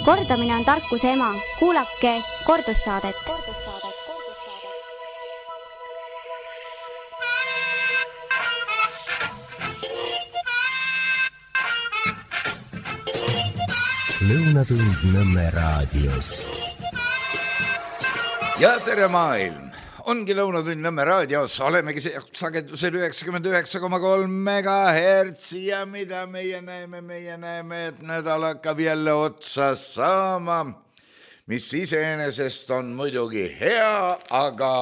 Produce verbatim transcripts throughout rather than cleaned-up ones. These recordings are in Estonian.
Kordamine on tarkuse ema. Kuulake kordussaadet. Lõunatund Nõmme raadios. Ja tere maailm! Ongi Lõunatund Nõmme raadios, olemegi sagedusel üheksakümmend üheksa koma kolm megahertsi ja mida meie näeme, meie näeme, et nädal hakkab jälle otsa saama, mis iseenesest on muidugi hea, aga,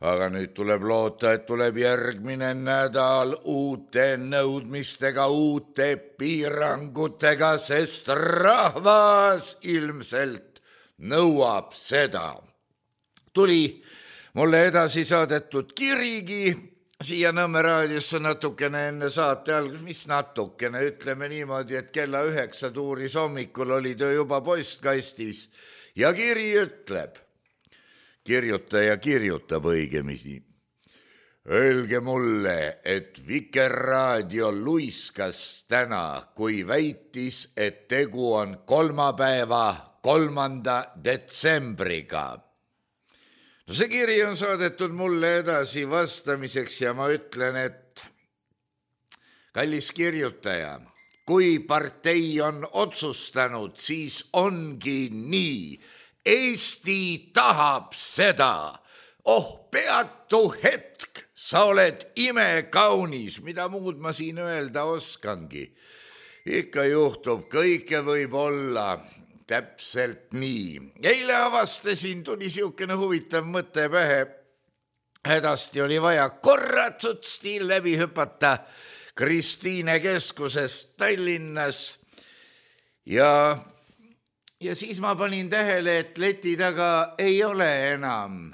aga nüüd tuleb loota, et tuleb järgmine nädal uute nõudmistega, uute piirangutega, sest rahvas ilmselt nõuab seda. Tuli mulle edasi saadetud kirigi siia Nõmme raadiosse natukene enne saate algus, mis natukene, ütleme niimoodi, et kella üheksa tuuris hommikul oli töö juba postkastis ja kiri ütleb, kirjutaja kirjutab õigemisi. Öelge mulle, et Vikerraadio luiskas täna, kui väitis, et tegu on kolmapäeva kolmanda detsembriga. No see kiri on saadetud mulle edasi vastamiseks ja ma ütlen, et kallis kirjutaja, kui partei on otsustanud, siis ongi nii. Eesti tahab seda. Oh, peatu hetk, sa oled imekaunis, mida muud ma siin öelda oskangi. Ikka juhtub, kõike võib olla. Täpselt nii. Eile avastasin, tuli siukene huvitav mõte pähe. Hädasti oli vaja korratsut stiil läbi hüpata Kristiine keskusest Tallinnas. Ja, ja siis ma panin tähele, et leti taga ei ole enam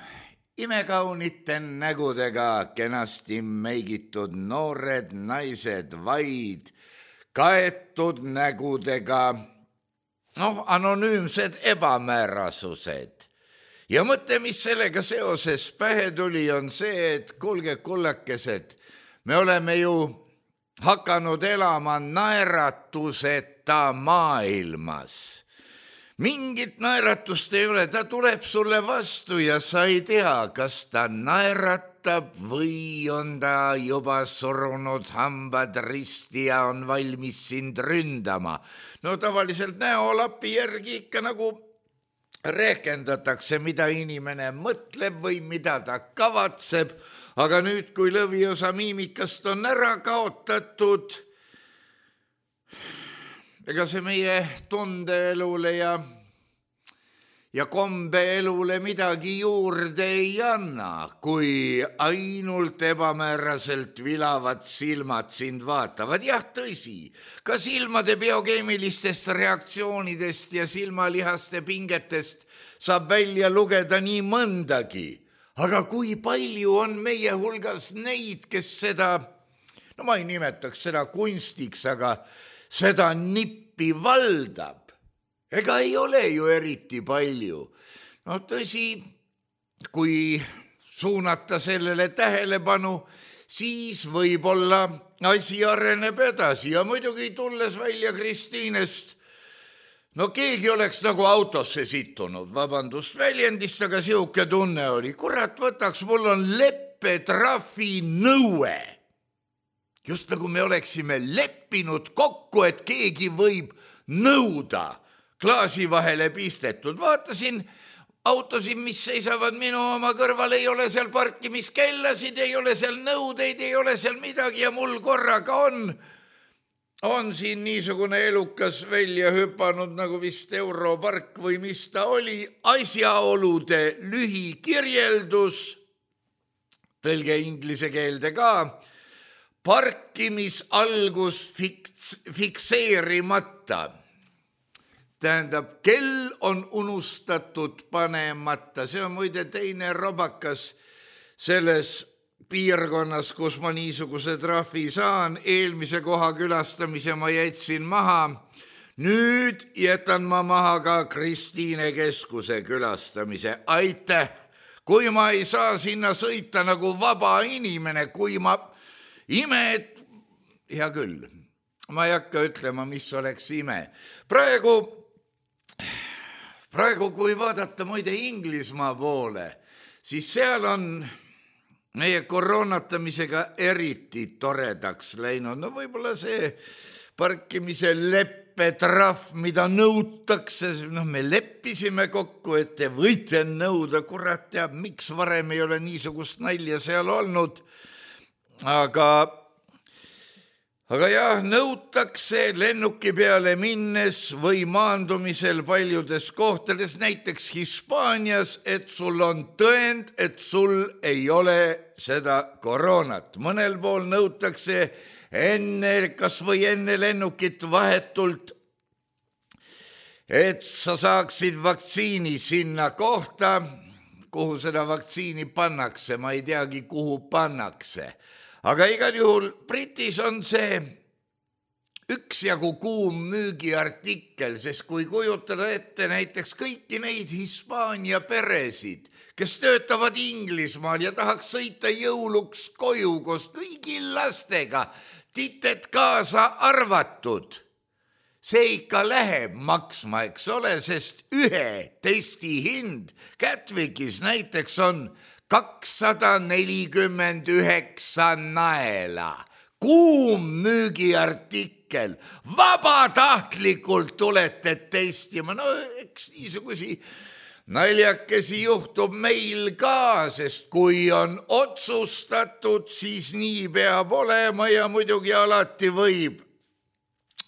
imekaunite nägudega kenasti meigitud noored naised, vaid kaetud nägudega noh, anonüümsed ebamäärasused. Ja mõte, mis sellega seoses pähe tuli, on see, et kuulge kullakesed, me oleme ju hakanud elama naeratuseta maailmas. Mingit naeratust ei ole, ta tuleb sulle vastu ja sa ei tea, kas ta naeratab või on ta juba surunud hambad risti ja on valmis sind ründama. No tavaliselt näolapi järgi ikka nagu rehkendatakse, mida inimene mõtleb või mida ta kavatseb, aga nüüd, kui lõviosa miimikast on ära kaotatud, ega see meie tundeelule ja ja kombeelule midagi juurde ei anna, kui ainult ebamääraselt vilavad silmad sind vaatavad. Jah, tõsi, ka silmade biokeemilistest reaktsioonidest ja silmalihaste pingetest saab välja lugeda nii mõndagi. Aga kui palju on meie hulgas neid, kes seda, no ma ei nimetaks seda kunstiks, aga seda nippi valdab. Ega ei ole ju eriti palju. No tõsi, kui suunata sellele tähelepanu, siis võib-olla asi areneb edasi. Ja muidugi tulles välja Kristiinest, no keegi oleks nagu autosse situnud, vabandust väljendist, aga siuke tunne oli. Kurat, võtaks, mul on leppetrahvi nõue. Just nagu me oleksime leppinud kokku, et keegi võib nõuda klaasi vahele pistetud. Vaatasin autosid, mis seisavad minu oma kõrval, ei ole seal parkimiskellasid, ei ole seal nõudeid, ei ole seal midagi ja mul korraga on, on siin niisugune elukas välja hüpanud, nagu vist Europark või mis ta oli, asjaolude lühikirjeldus, tõlge inglise keelde ka, parkimisalgus fiks, fikseerimata. Tähendab, kell on unustatud panemata. See on muide teine robakas selles piirkonnas, kus ma niisuguse trahvi saan. Eelmise koha külastamise ma jätsin maha. Nüüd jätan ma maha ka Kristiine keskuse külastamise. Aitäh! Kui ma ei saa sinna sõita nagu vaba inimene, kui ma imed, hea küll, ma ei hakka ütlema, mis oleks ime. Praegu praegu, kui vaadata muide Inglismaa poole, siis seal on meie koroonatamisega eriti toredaks läinud. No võib-olla see parkimise leppetrahv, mida nõutakse, noh, me leppisime kokku, et te võite nõuda, kurat teab, miks varem ei ole niisugust nalja seal olnud, aga Aga jah, nõutakse lennuki peale minnes või maandumisel paljudes kohtades, näiteks Hispaanias, et sul on tõend, et sul ei ole seda koroonat. Mõnel pool nõutakse enne, kas või enne lennukit vahetult, et sa saaksid vaktsiini sinna kohta, kuhu seda vaktsiini pannakse, ma ei teagi, kuhu pannakse. Aga igal juhul Britis on see üksjagu kuum müügiartikkel, sest kui kujutada ette näiteks kõiki neid Hispaania peresid, kes töötavad Inglismaal ja tahaks sõita jõuluks koju koos kõigi lastega, tited kaasa arvatud, see ikka läheb maksma, eks ole, sest ühe testi hind Gatwickis näiteks on kakssada nelikümmend üheksa naela. Kuum müügiartikkel. Vabatahtlikult tulete testima. No eks niisugusi naljakesi juhtub meil ka, sest kui on otsustatud, siis nii peab olema ja muidugi alati võib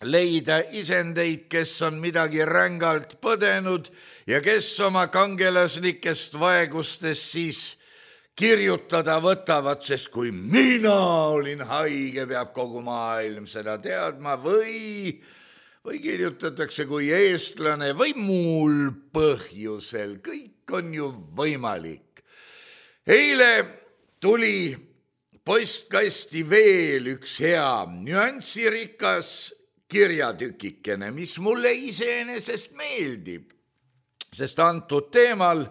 leida isendeid, kes on midagi rängalt põdenud ja kes oma kangelaslikest vaegustest siis kirjutada võtavad, sest kui mina olin haige, peab kogu maailm seda teadma või, või kirjutatakse kui eestlane või muul põhjusel. Kõik on ju võimalik. Eile tuli postkasti veel üks hea nüansirikas kirjatükikene, mis mulle iseenesest meeldib, sest antud teemal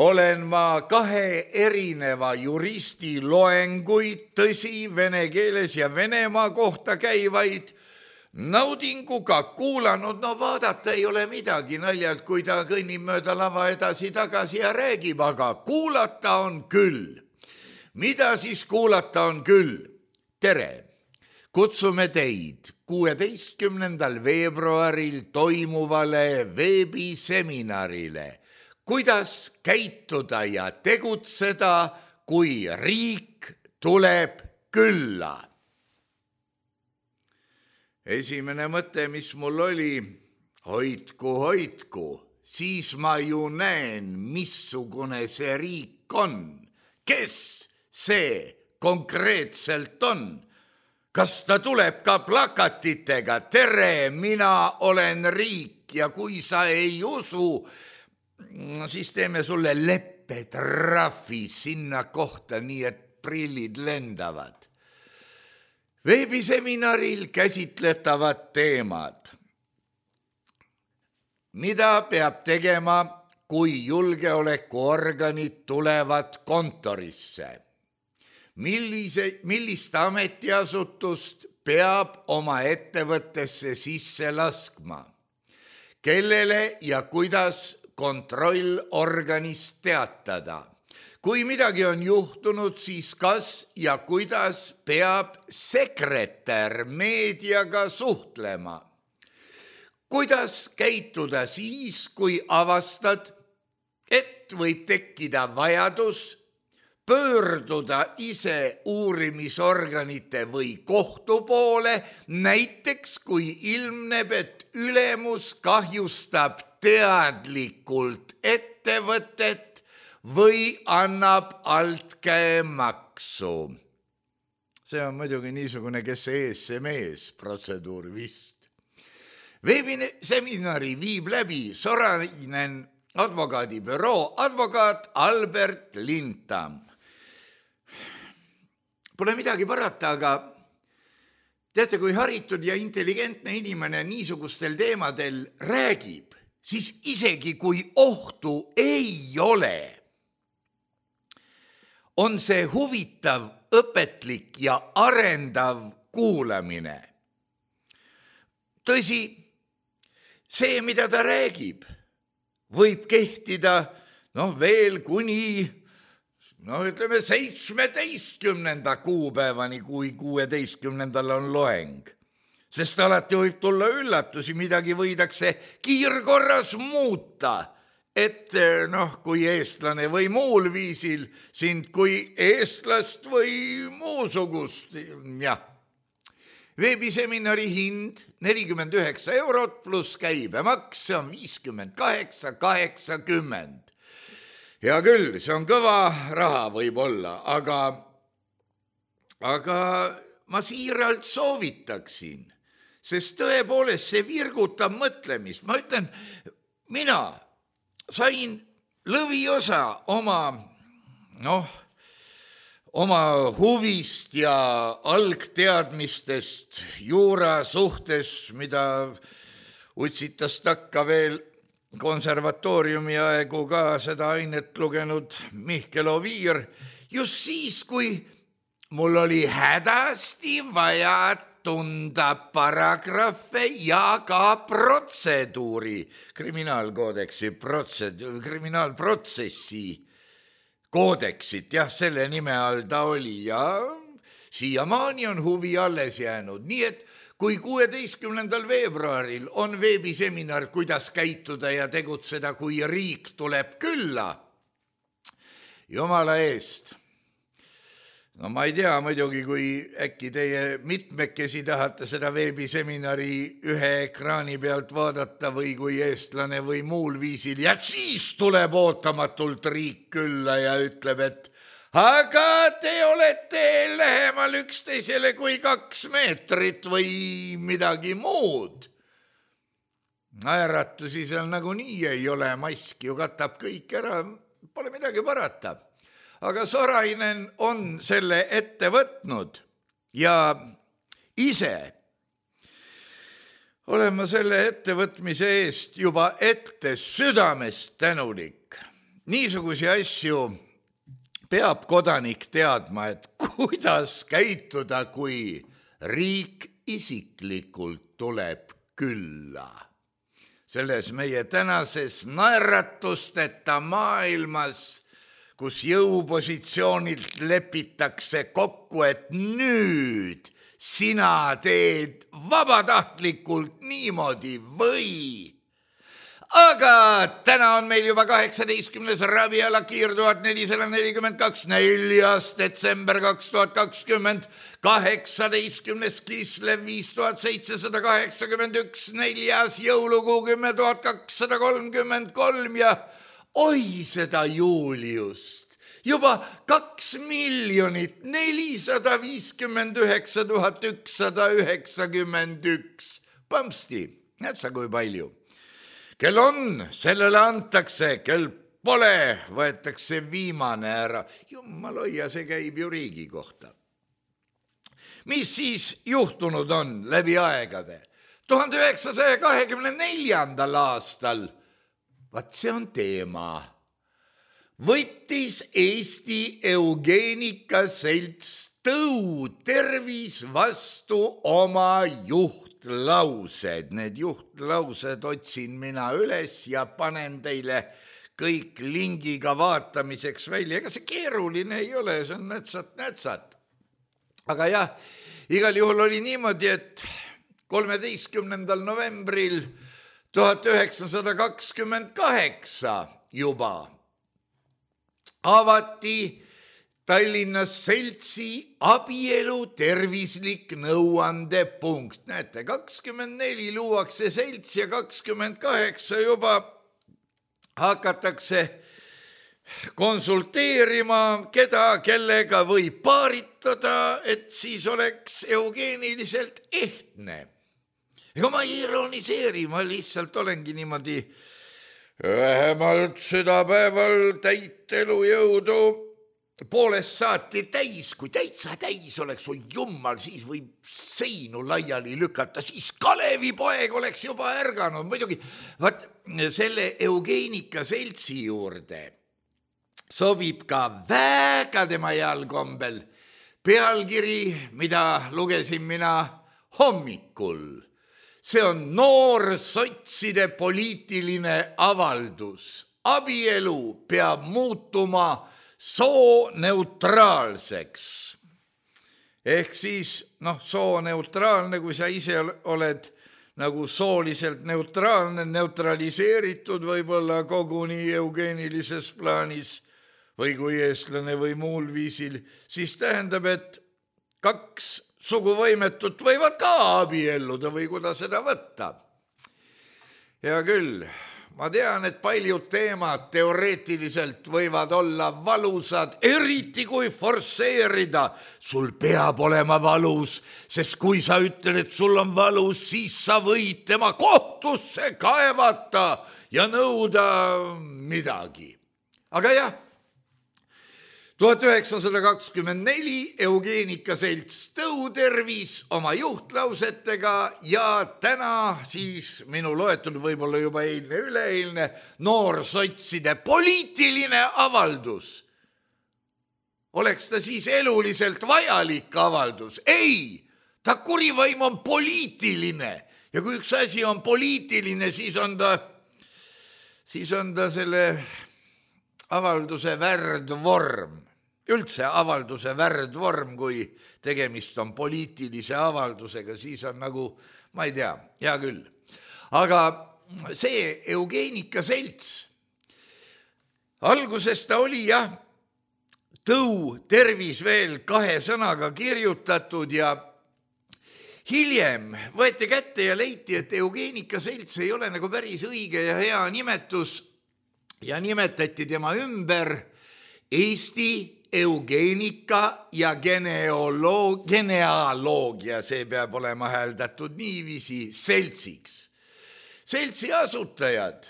olen ma kahe erineva juristi loenguid, tõsi, vene keeles ja Venemaa kohta käivaid, naudinguga kuulanud. No vaadata ei ole midagi naljalt, kui ta kõnnib mööda lava edasi-tagasi ja räägib, aga kuulata on küll. Mida siis kuulata on küll? Tere! Kutsume teid kuueteistkümnendal veebruaril toimuvale veebiseminarile, kuidas käituda ja tegutseda, kui riik tuleb külla. Esimene mõte, mis mul oli, hoidku, hoidku, siis ma ju näen, missugune see riik on. Kes see konkreetselt on? Kas ta tuleb ka plakatitega? Tere, mina olen riik ja kui sa ei usu, siis teeme sulle leppetrahvi sinna kohta, nii et prillid lendavad. Veebiseminaril käsitletavad teemad. Mida peab tegema, kui julgeolekuorganid tulevad kontorisse? Millise, millist ametiasutust peab oma ettevõttesse sisse laskma? Kellele ja kuidas kontrollorganist teatada? Kui midagi on juhtunud, siis kas ja kuidas peab sekretär meediaga suhtlema? Kuidas käituda siis, kui avastad, et võib tekkida vajadus pöörduda ise uurimisorganite või kohtu poole, näiteks kui ilmneb, et ülemus kahjustab teadlikult ettevõtet või annab altkäemaksu. See on muidugi niisugune, kes ees see mees protseduur vist. Veebiseminari viib läbi Sorainen advokaadibüroo advokaat Albert Lintam. Pole midagi parata, aga teate, kui haritud ja intelligentne inimene niisugustel teemadel räägib, siis isegi kui ohtu ei ole, on see huvitav, õpetlik ja arendav kuulamine. Tõsi, see, mida ta räägib, võib kehtida noh veel kuni noh, ütleme seitsmeteistkümnenda kuupäevani, kui kuueteistkümnendal on loeng. Sest alati võib tulla üllatusi, midagi võidakse kiirkorras muuta, et noh, kui eestlane või muul viisil sind kui eestlast või muusugust, jah. Veebiseminari hind nelikümmend üheksa eurot pluss käibemaks, see on viiskümmend kaheksa kaheksakümmend. Hea küll, see on kõva raha võib-olla, aga, aga ma siiralt soovitaksin, sest tõepoolest see virgutab mõtlemist. Ma ütlen, mina sain lõviosa oma, noh, oma huvist ja algteadmistest juura suhtes, mida utsitas takka veel konservatooriumi aegu ka seda ainet lugenud Mihkel Oviir, just siis, kui mul oli hädasti vaja tunda paragrahve ja ka protseduuri, kriminaalkoodeksi protseduuri, kriminaalprotsessi koodeksit, jah, selle nime all ta oli ja siiamaani on huvi alles jäänud, nii et kui kuueteistkümnendal veebruaril on veebiseminar, kuidas käituda ja tegutseda, kui riik tuleb külla, jumala eest. No ma ei tea muidugi, kui äkki teie mitmekesi tahate seda veebiseminari ühe ekraani pealt vaadata või kui eestlane või muul viisil ja siis tuleb ootamatult riik külla ja ütleb, et aga te olete lähemal üksteisele kui kaks meetrit või midagi muud. Naeratusi seal nagunii ei ole, mask ju katab kõik ära, pole midagi parata. Aga Sorainen on selle ette võtnud ja ise olen ma selle ettevõtmise eest juba ette südamest tänulik. Niisugusi asju peab kodanik teadma, et kuidas käituda, kui riik isiklikult tuleb külla. Selles meie tänases naeratusteta maailmas, kus jõupositsioonilt lepitakse kokku, et nüüd sina teed vabatahtlikult niimoodi või. Aga täna on meil juba kaheksateistkümnes raviala kiir tuhat nelisada nelikümmend kaks, neljas detsember kaks tuhat kakskümmend, kaheksateistkümnes Kislev viis tuhat seitsesada kaheksakümmend üks, neljas jõulukuu kümme tuhat kakssada kolmkümmend kolm ja oi seda Juliust, juba kaks miljonit nelisada viiskümmend üheksa tuhat ükssada üheksakümmend üks. Pampsti, näed sa kui palju. Kel on, sellele antakse, kel pole, võetakse viimane ära. Jumal hoia, see käib ju riigi kohta. Mis siis juhtunud on läbi aegade? tuhande üheksasaja kahekümne neljandal aastal, vaat see on teema, võttis Eesti Eugeenikaselts Tõu tervis vastu oma juhtlaused. Need juhtlaused otsin mina üles ja panen teile kõik lingiga vaatamiseks välja. Ega see keeruline ei ole, see on nätsat-nätsat. Aga jah, igal juhul oli niimoodi, et kolmeteistkümnendal novembril tuhat üheksasada kakskümmend kaheksa juba avati Tallinnas seltsi abielu tervislik nõuandepunkt. Näete, kakskümmend neli luuakse selts ja kakskümmend kaheksa juba hakatakse konsulteerima, keda, kellega võib paaritada, et siis oleks eugeeniliselt ehtne. Ega ma ei ironiseeri, ma lihtsalt olengi niimoodi vähemalt südapäeval täit elujõudu poolest saati täis, kui täitsa täis oleks, oi jummal, siis võib seinu laiali lükata, siis Kalevi poeg oleks juba ärganud. Muidugi, vaat selle Eugeenikaseltsi juurde sobib ka väga tema jalgombel pealkiri, mida lugesin mina hommikul. see on noorsotside poliitiline avaldus. Abielu peab muutuma sooneutraalseks. Ehk siis, noh, sooneutraalne, kui sa ise oled nagu sooliselt neutraalne, neutraliseeritud võib-olla koguni eugeenilises plaanis või kui eestlane või muul viisil, siis tähendab, et kaks suguvõimetut võivad ka abielluda või kuidas seda võtta. Hea küll, ma tean, et paljud teemad teoreetiliselt võivad olla valusad, eriti kui forsseerida. Sul peab olema valus, sest kui sa ütled, et sul on valus, siis sa võid tema kohtusse kaevata ja nõuda midagi. Aga jah, tuhat üheksasada kakskümmend neli Eugeenika Selts Tõutervis oma juhtlausetega ja täna siis minu loetud võib-olla juba eilne üleeilne noorsotside poliitiline avaldus. Oleks ta siis eluliselt vajalik avaldus? Ei, ta kurivaim on poliitiline ja kui üks asi on poliitiline, siis on ta, siis on ta selle avalduse värdvorm. Üldse avalduse värdvorm, kui tegemist on poliitilise avaldusega, siis on nagu, ma ei tea, hea küll. Aga see Eugeenika Selts, alguses ta oli jah, Tõutervis veel kahe sõnaga kirjutatud ja hiljem võeti kätte ja leiti, et Eugeenika Selts ei ole nagu päris õige ja hea nimetus ja nimetati tema ümber Eesti Eugeenika ja genealoog, genealoogia, see peab olema hääldatud niiviisi, seltsiks. Seltsi asutajad,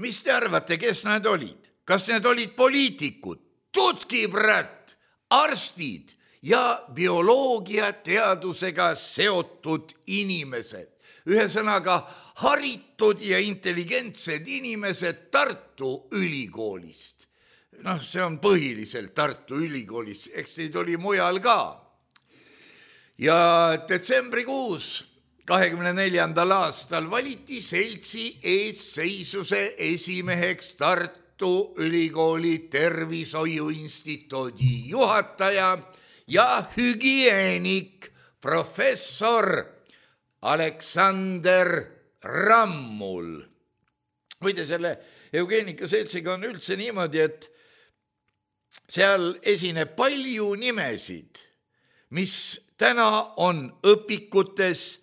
mis te arvate, kes nad olid? Kas need olid poliitikud, tutkibrät, arstid ja bioloogiateadusega seotud inimesed? Ühesõnaga haritud ja intelligentsed inimesed Tartu ülikoolist. Noh, see on põhiliselt Tartu ülikoolis, eks neid oli mujal ka. Ja detsembrikuus kahekümne neljandal aastal valiti Seltsi eesseisuse esimeheks Tartu ülikooli tervishoiuinstituudi juhataja ja hügieenik professor Aleksander Rammul. Muide, selle Eugeenika Seltsiga on üldse niimoodi, et seal esineb palju nimesid, mis täna on õpikutes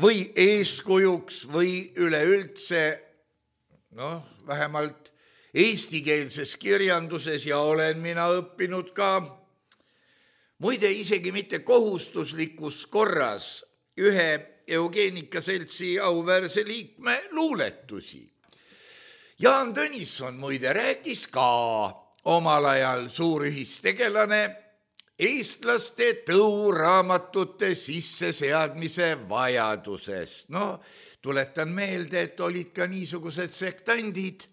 või eeskujuks või üleüldse, noh, vähemalt eestikeelses kirjanduses ja olen mina õppinud ka, muide isegi mitte kohustuslikus korras ühe Eugeenika Seltsi auväärse liikme luuletusi. Jaan Tõnisson muide rääkis ka omal ajal suurühistegelane eestlaste tõuraamatute sisseseadmise vajadusest. No, tuletan meelde, et olid ka niisugused sektandid.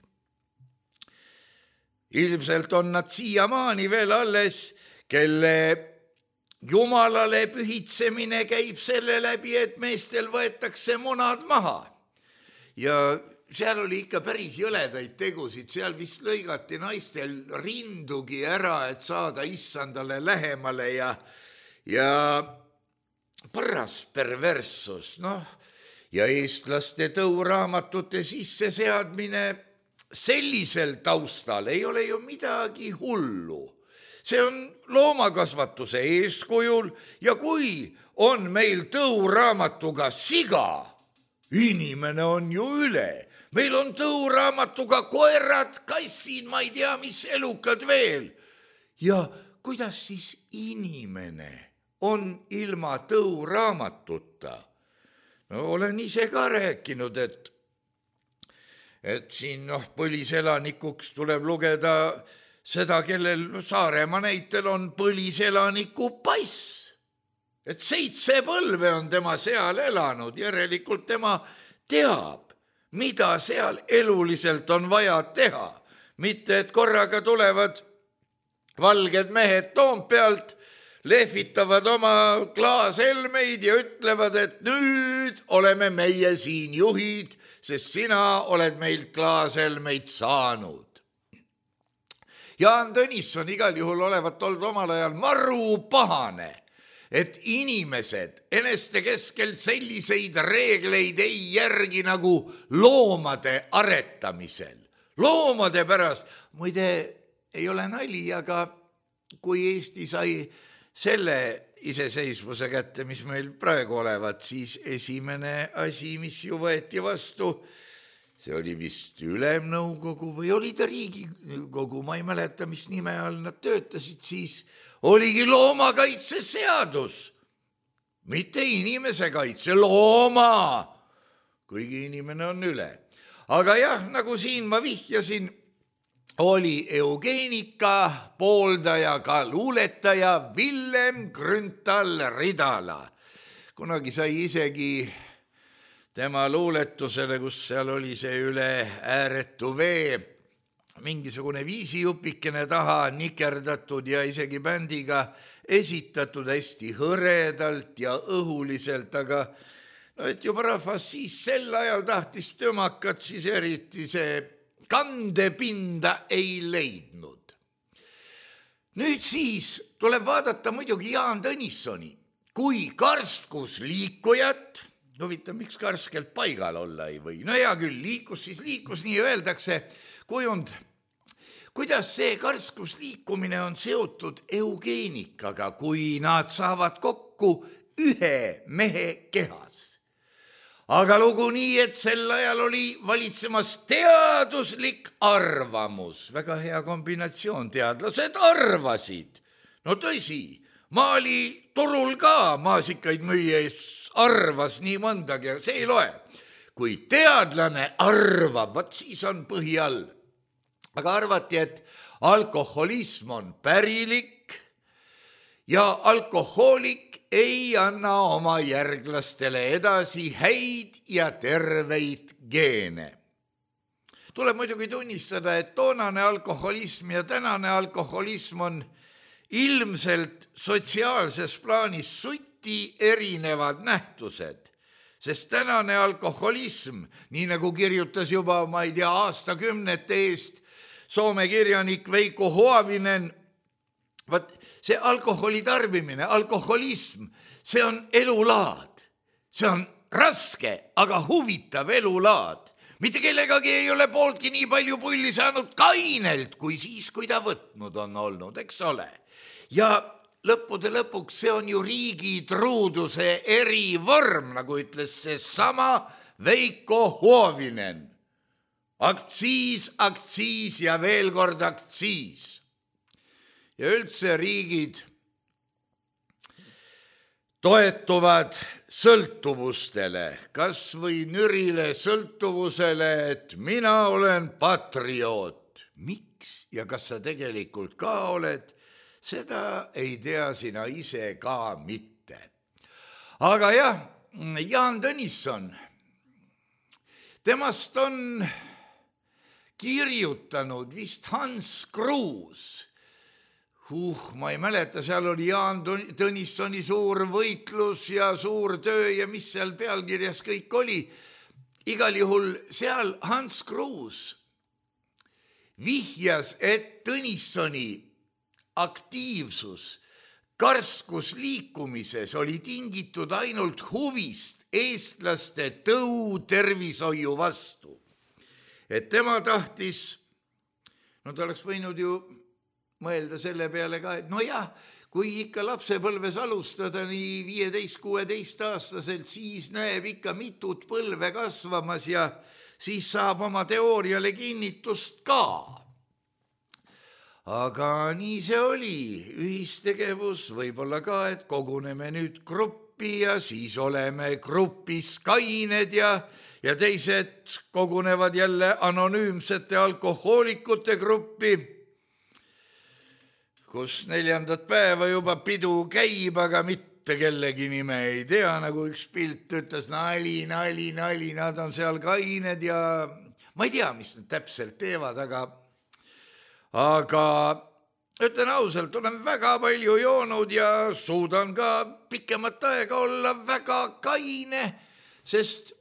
Ilmselt on nad siiamaani veel alles, kelle jumalale pühitsemine käib selle läbi, et meestel võetakse munad maha. Ja seal oli ikka päris jõledaid tegusid, seal vist lõigati naistel rindugi ära, et saada issandale lähemale ja, ja paras perverssus, noh, ja eestlaste tõuraamatute sisseseadmine sellisel taustal ei ole ju midagi hullu. See on loomakasvatuse eeskujul ja kui on meil tõuraamatuga siga, inimene on ju üle. Meil on tõuraamatuga koerad, kassid, ma ei tea, mis elukad veel. Ja kuidas siis inimene on ilma tõuraamatuta? No olen ise ka rääkinud, et, et siin noh, põliselanikuks tuleb lugeda seda, kellel Saaremaa näitel on põliselaniku pass. Et seitse põlve on tema seal elanud, järelikult tema teab, mida seal eluliselt on vaja teha. Mitte, et korraga tulevad valged mehed Toompealt, lehvitavad oma klaashelmeid ja ütlevad, et nüüd oleme meie siin juhid, sest sina oled meilt klaashelmeid saanud. Jaan Tõnisson igal juhul olevat olnud omal ajal maru pahane, et inimesed eneste keskel selliseid reegleid ei järgi nagu loomade aretamisel. Loomade pärast, muide, ei ole nali, aga kui Eesti sai selle iseseisvuse kätte, mis meil praegu olevat, siis esimene asi, mis ju võeti vastu, see oli vist Ülemnõukogu või oli ta Riigikogu, ma ei mäleta, mis nime all nad töötasid, siis oligi loomakaitseseadus, mitte inimese kaitse, looma, kuigi inimene on üle. Aga jah, nagu siin ma vihjasin, oli eugeenika pooldaja ka luuletaja Villem Grünthal Ridala. Kunagi sai isegi tema luuletusele, kus seal oli see üle ääretu vee, mingisugune viisijupikene taha nikerdatud ja isegi bändiga esitatud hästi hõredalt ja õhuliselt, aga no et juba rahvas siis sel ajal tahtis tömakat, siis eriti see kandepinda ei leidnud. Nüüd siis tuleb vaadata muidugi Jaan Tõnissoni kui karstkus liikujat. Huvitav, miks karskelt paigal olla ei või? No hea küll, liikus siis liikus, nii öeldakse kujund. Kuidas see karskus liikumine on seotud eugeenikaga, kui nad saavad kokku ühe mehe kehas? Aga lugu nii, et sel ajal oli valitsemas teaduslik arvamus. Väga hea kombinatsioon, teadlased arvasid. No tõsi, maali turul ka maasikaid müües arvas nii mõndagi, see ei loe. Kui teadlane arvab, vaat siis on põhi all. Aga arvati, et alkoholism on pärilik ja alkohoolik ei anna oma järglastele edasi häid ja terveid geene. Tuleb muidugi tunnistada, et toonane alkoholism ja tänane alkoholism on ilmselt sotsiaalses plaanis suti erinevad nähtused, sest tänane alkoholism, nii nagu kirjutas juba, ma ei tea, aastakümnete eest Soome kirjanik Veikko Huovinen, vaat see alkoholi tarbimine, alkoholism, see on elulaad. See on raske, aga huvitav elulaad. Mitte kellegagi ei ole pooltki nii palju pulli saanud kainelt, kui siis, kui ta võtnud on olnud, eks ole. Ja lõppude lõpuks see on ju riigi truuduse erivorm, nagu ütles see sama Veikko Huovinen. Aktsiis, aktsiis ja veel kord aktsiis. Ja üldse riigid toetuvad sõltuvustele, kas või nürile sõltuvusele, et mina olen patrioot. Miks ja kas sa tegelikult ka oled, seda ei tea sina ise ka mitte. Aga jah, Jaan Tõnisson, temast on kirjutanud vist Hans Kruus. Uh, ma ei mäleta, seal oli Jaan Tõnissoni suur võitlus ja suur töö ja mis seal pealkirjas kõik oli. Igal juhul seal Hans Kruus vihjas, et Tõnissoni aktiivsus karskus liikumises oli tingitud ainult huvist eestlaste tõu tervishoiu vastu. Et tema tahtis, no ta oleks võinud ju mõelda selle peale ka, et no jah, kui ikka lapsepõlves alustada nii viieteist kuueteist aastaselt, siis näeb ikka mitut põlve kasvamas ja siis saab oma teooriale kinnitust ka. Aga nii see oli, ühistegevus, võib-olla ka, et koguneme nüüd gruppi ja siis oleme grupis kained ja ja teised kogunevad jälle anonüümsete alkohoolikute gruppi, kus neljandat päeva juba pidu käib, aga mitte kellegi nime ei tea, nagu üks pilt ütles, nali, nali, nali, nad on seal kained ja ma ei tea, mis nad täpselt teevad, aga, aga ütlen ausalt, olen väga palju joonud ja suudan ka pikemat aega olla väga kaine, sest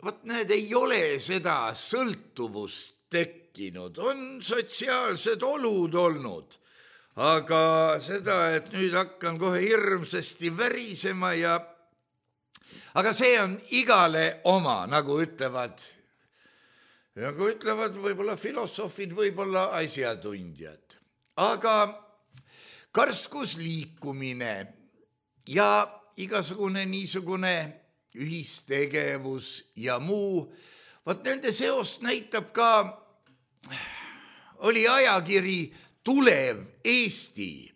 vot näed, ei ole seda sõltuvust tekkinud, on sotsiaalsed olud olnud, aga seda, et nüüd hakkan kohe hirmsasti värisema ja aga see on igale oma, nagu ütlevad, nagu ütlevad võib-olla filosoofid, võib-olla asjatundjad. Aga karskus liikumine ja igasugune niisugune ühistegevus ja muu, vaat nende seost näitab ka, oli ajakiri Tulev Eesti.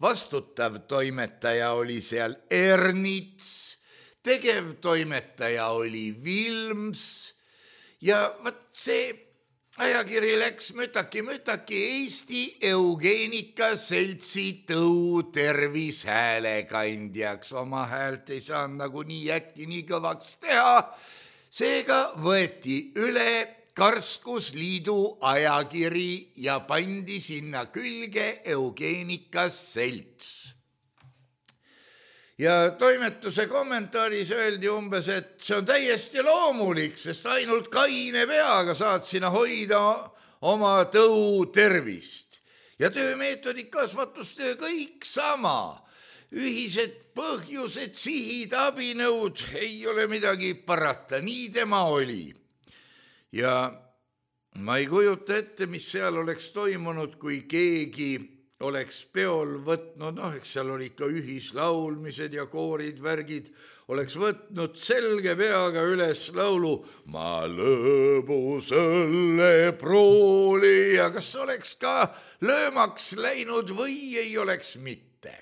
Vastutav toimetaja oli seal Ernits, tegevtoimetaja oli Vilms ja vaat see ajakiri läks mütaki-mütaki Eesti Eugeenika Seltsi tõu tervishäälekandjaks. Oma häält ei saanud nagu nii äkki nii kõvaks teha. Seega võeti üle Karskusliidu ajakiri ja pandi sinna külge Eugeenika Selts. Ja toimetuse kommentaaris öeldi umbes, et see on täiesti loomulik, sest ainult kaine peaga saad sinna hoida oma tõu tervist. Ja töömeetodid, kasvatustöö, kõik sama. Ühised põhjused, sihid, abinõud, ei ole midagi parata, nii tema oli. Ja ma ei kujuta ette, mis seal oleks toimunud, kui keegi oleks peol võtnud, noh, eks seal oli ikka ühislaulmised ja koorid, värgid, oleks võtnud selge peaga üles laulu Ma lõbusõlle prooli ja kas oleks ka löömaks läinud või ei oleks mitte.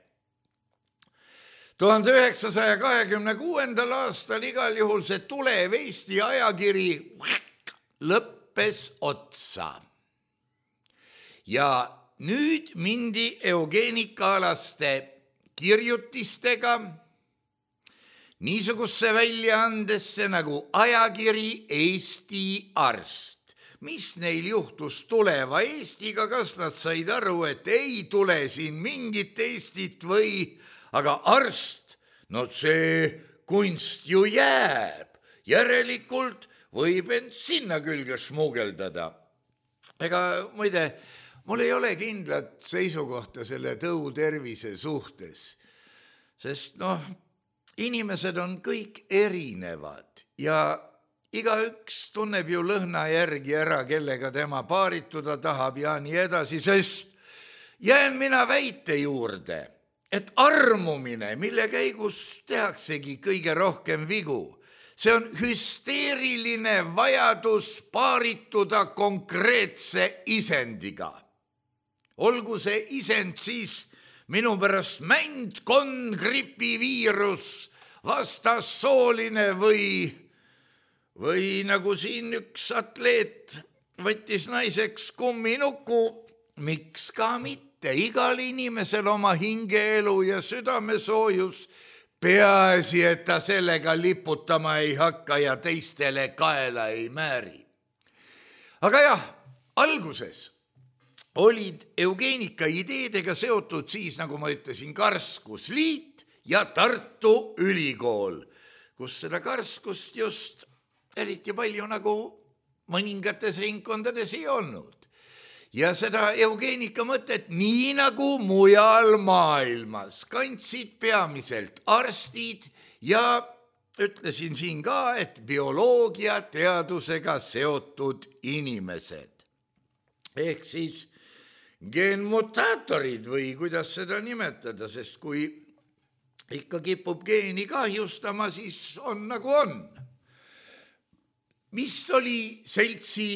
tuhande üheksasaja kahekümne kuuendal aastal igal juhul see Tulev Eesti ajakiri lõppes otsa. Ja nüüd mindi eugeenikaalaste kirjutistega niisugusse väljaandesse nagu ajakiri Eesti Arst. Mis neil juhtus Tuleva Eestiga, kas nad said aru, et ei tule siin mingit Eestit või, aga arst, no see kunst ju jääb, järelikult võib end sinna külge smugeldada. Ega muide, mul ei ole kindlat seisukohta selle tõu tervise suhtes, sest noh, inimesed on kõik erinevad ja igaüks tunneb ju lõhna järgi ära, kellega tema paarituda tahab ja nii edasi, sest jään mina väite juurde, et armumine, mille käigus tehaksegi kõige rohkem vigu, see on hüsteeriline vajadus paarituda konkreetse isendiga. Olgu see isend siis minu pärast mänd, konn, gripiviirus, vastassooline või, või nagu siin üks atleet võttis naiseks kumminuku, miks ka mitte, igal inimesel oma hingeelu ja südamesoojus, peaasi, et ta sellega liputama ei hakka ja teistele kaela ei määri. Aga jah, alguses olid eugeenika ideedega seotud siis, nagu ma ütlesin, Karskusliit ja Tartu Ülikool, kus seda karskust just eriti palju nagu mõningates ringkondades ei olnud. Ja seda eugeenika mõtet nii nagu mujal maailmas kandsid peamiselt arstid ja ütlesin siin ka, et bioloogia teadusega seotud inimesed. Ehk siis geenmutaatorid või kuidas seda nimetada, sest kui ikka kipub geeni kahjustama, siis on nagu on. Mis oli seltsi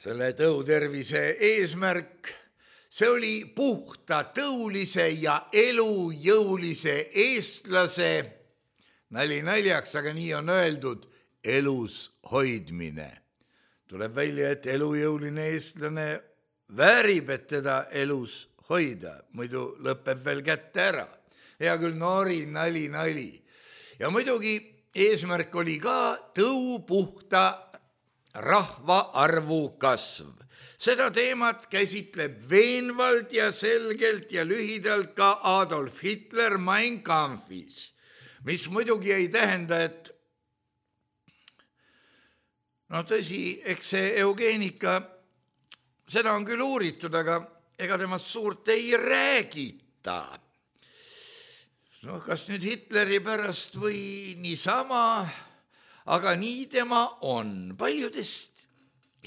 selle tõutervise eesmärk? See oli puhta tõulise ja elujõulise eestlase, nali naljaks, aga nii on öeldud, elus hoidmine. Tuleb välja, et elujõuline eestlane väärib, et teda elus hoida, muidu lõpeb veel kätte ära. Hea küll, nori, nali, nali. Ja muidugi eesmärk oli ka tõu puhta rahvaarvu kasv. Seda teemat käsitleb veenvalt ja selgelt ja lühidalt ka Adolf Hitler Mein Kampfis, mis muidugi ei tähenda, et no tõsi, eks see eugeenika, seda on küll uuritud, aga ega temast suurt ei räägita. No kas nüüd Hitleri pärast või niisama, aga nii tema on. Paljudest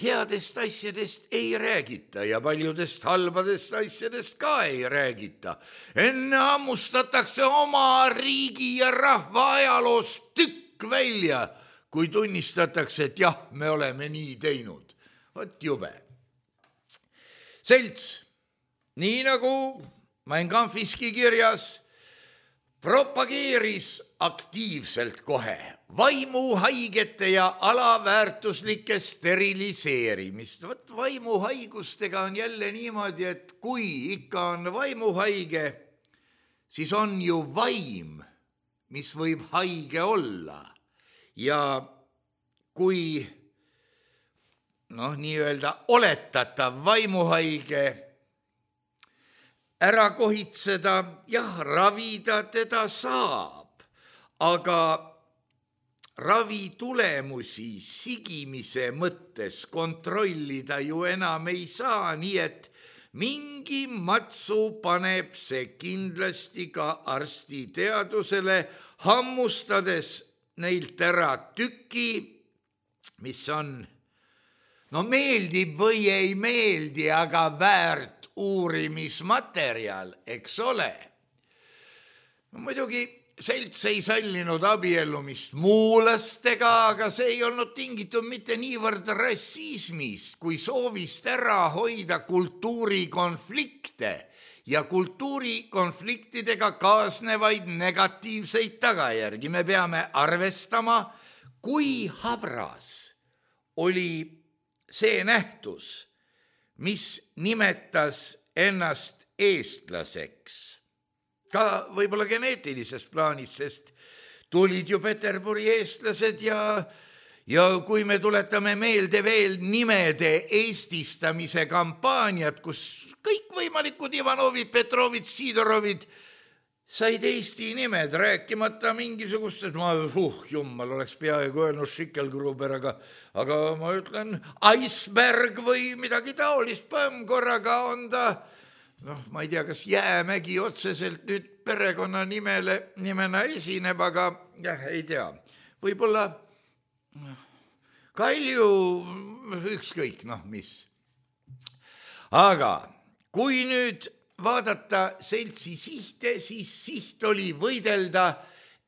headest asjadest ei räägita ja paljudest halbadest asjadest ka ei räägita. Enne ammustatakse oma riigi ja rahva ajaloost tükk välja, kui tunnistatakse, et jah, me oleme nii teinud. Vot jube. Selts, nii nagu Mein Kampfiski kirjas, propageeris aktiivselt kohe vaimuhaigete ja alaväärtuslike steriliseerimist. Võt vaimuhaigustega on jälle niimoodi, et kui ikka on vaimuhaige, siis on ju vaim, mis võib haige olla. Ja kui noh, nii-öelda oletatav vaimuhaige ära kohitseda, jah, ravida teda saab, aga ravi tulemusi sigimise mõttes kontrollida ju enam ei saa, nii et mingi matsu paneb see kindlasti ka arsti teadusele, hammustades neilt ära tüki, mis on, no meeldib või ei meeldi, aga väärt uurimismaterjal, eks ole. No, muidugi Selts ei sallinud abiellumist muulastega, aga see ei olnud tingitud mitte niivõrd rassismist, kui soovist ära hoida kultuurikonflikte ja kultuurikonfliktidega kaasnevaid negatiivseid tagajärgi. Me peame arvestama, kui habras oli see nähtus, mis nimetas ennast eestlaseks. Ka võib-olla geneetilises plaanis, sest tulid ju Peterburi eestlased ja, ja kui me tuletame meelde veel nimede eestistamise kampaaniat, kus kõik võimalikud Ivanovid, Petrovid, Sidorovid said Eesti nimed, rääkimata mingisugust, et ma, uh, jummal, oleks peaaegu öelnud Schickelgruber, aga, aga ma ütlen Iceberg või midagi taolist, põmm korraga on ta, noh, ma ei tea, kas Jäämägi otseselt nüüd perekonna nimele, nimena esineb, aga jah, ei tea. Võib-olla Kalju, ükskõik, noh, mis. Aga kui nüüd vaadata Seltsi sihte, siis siht oli võidelda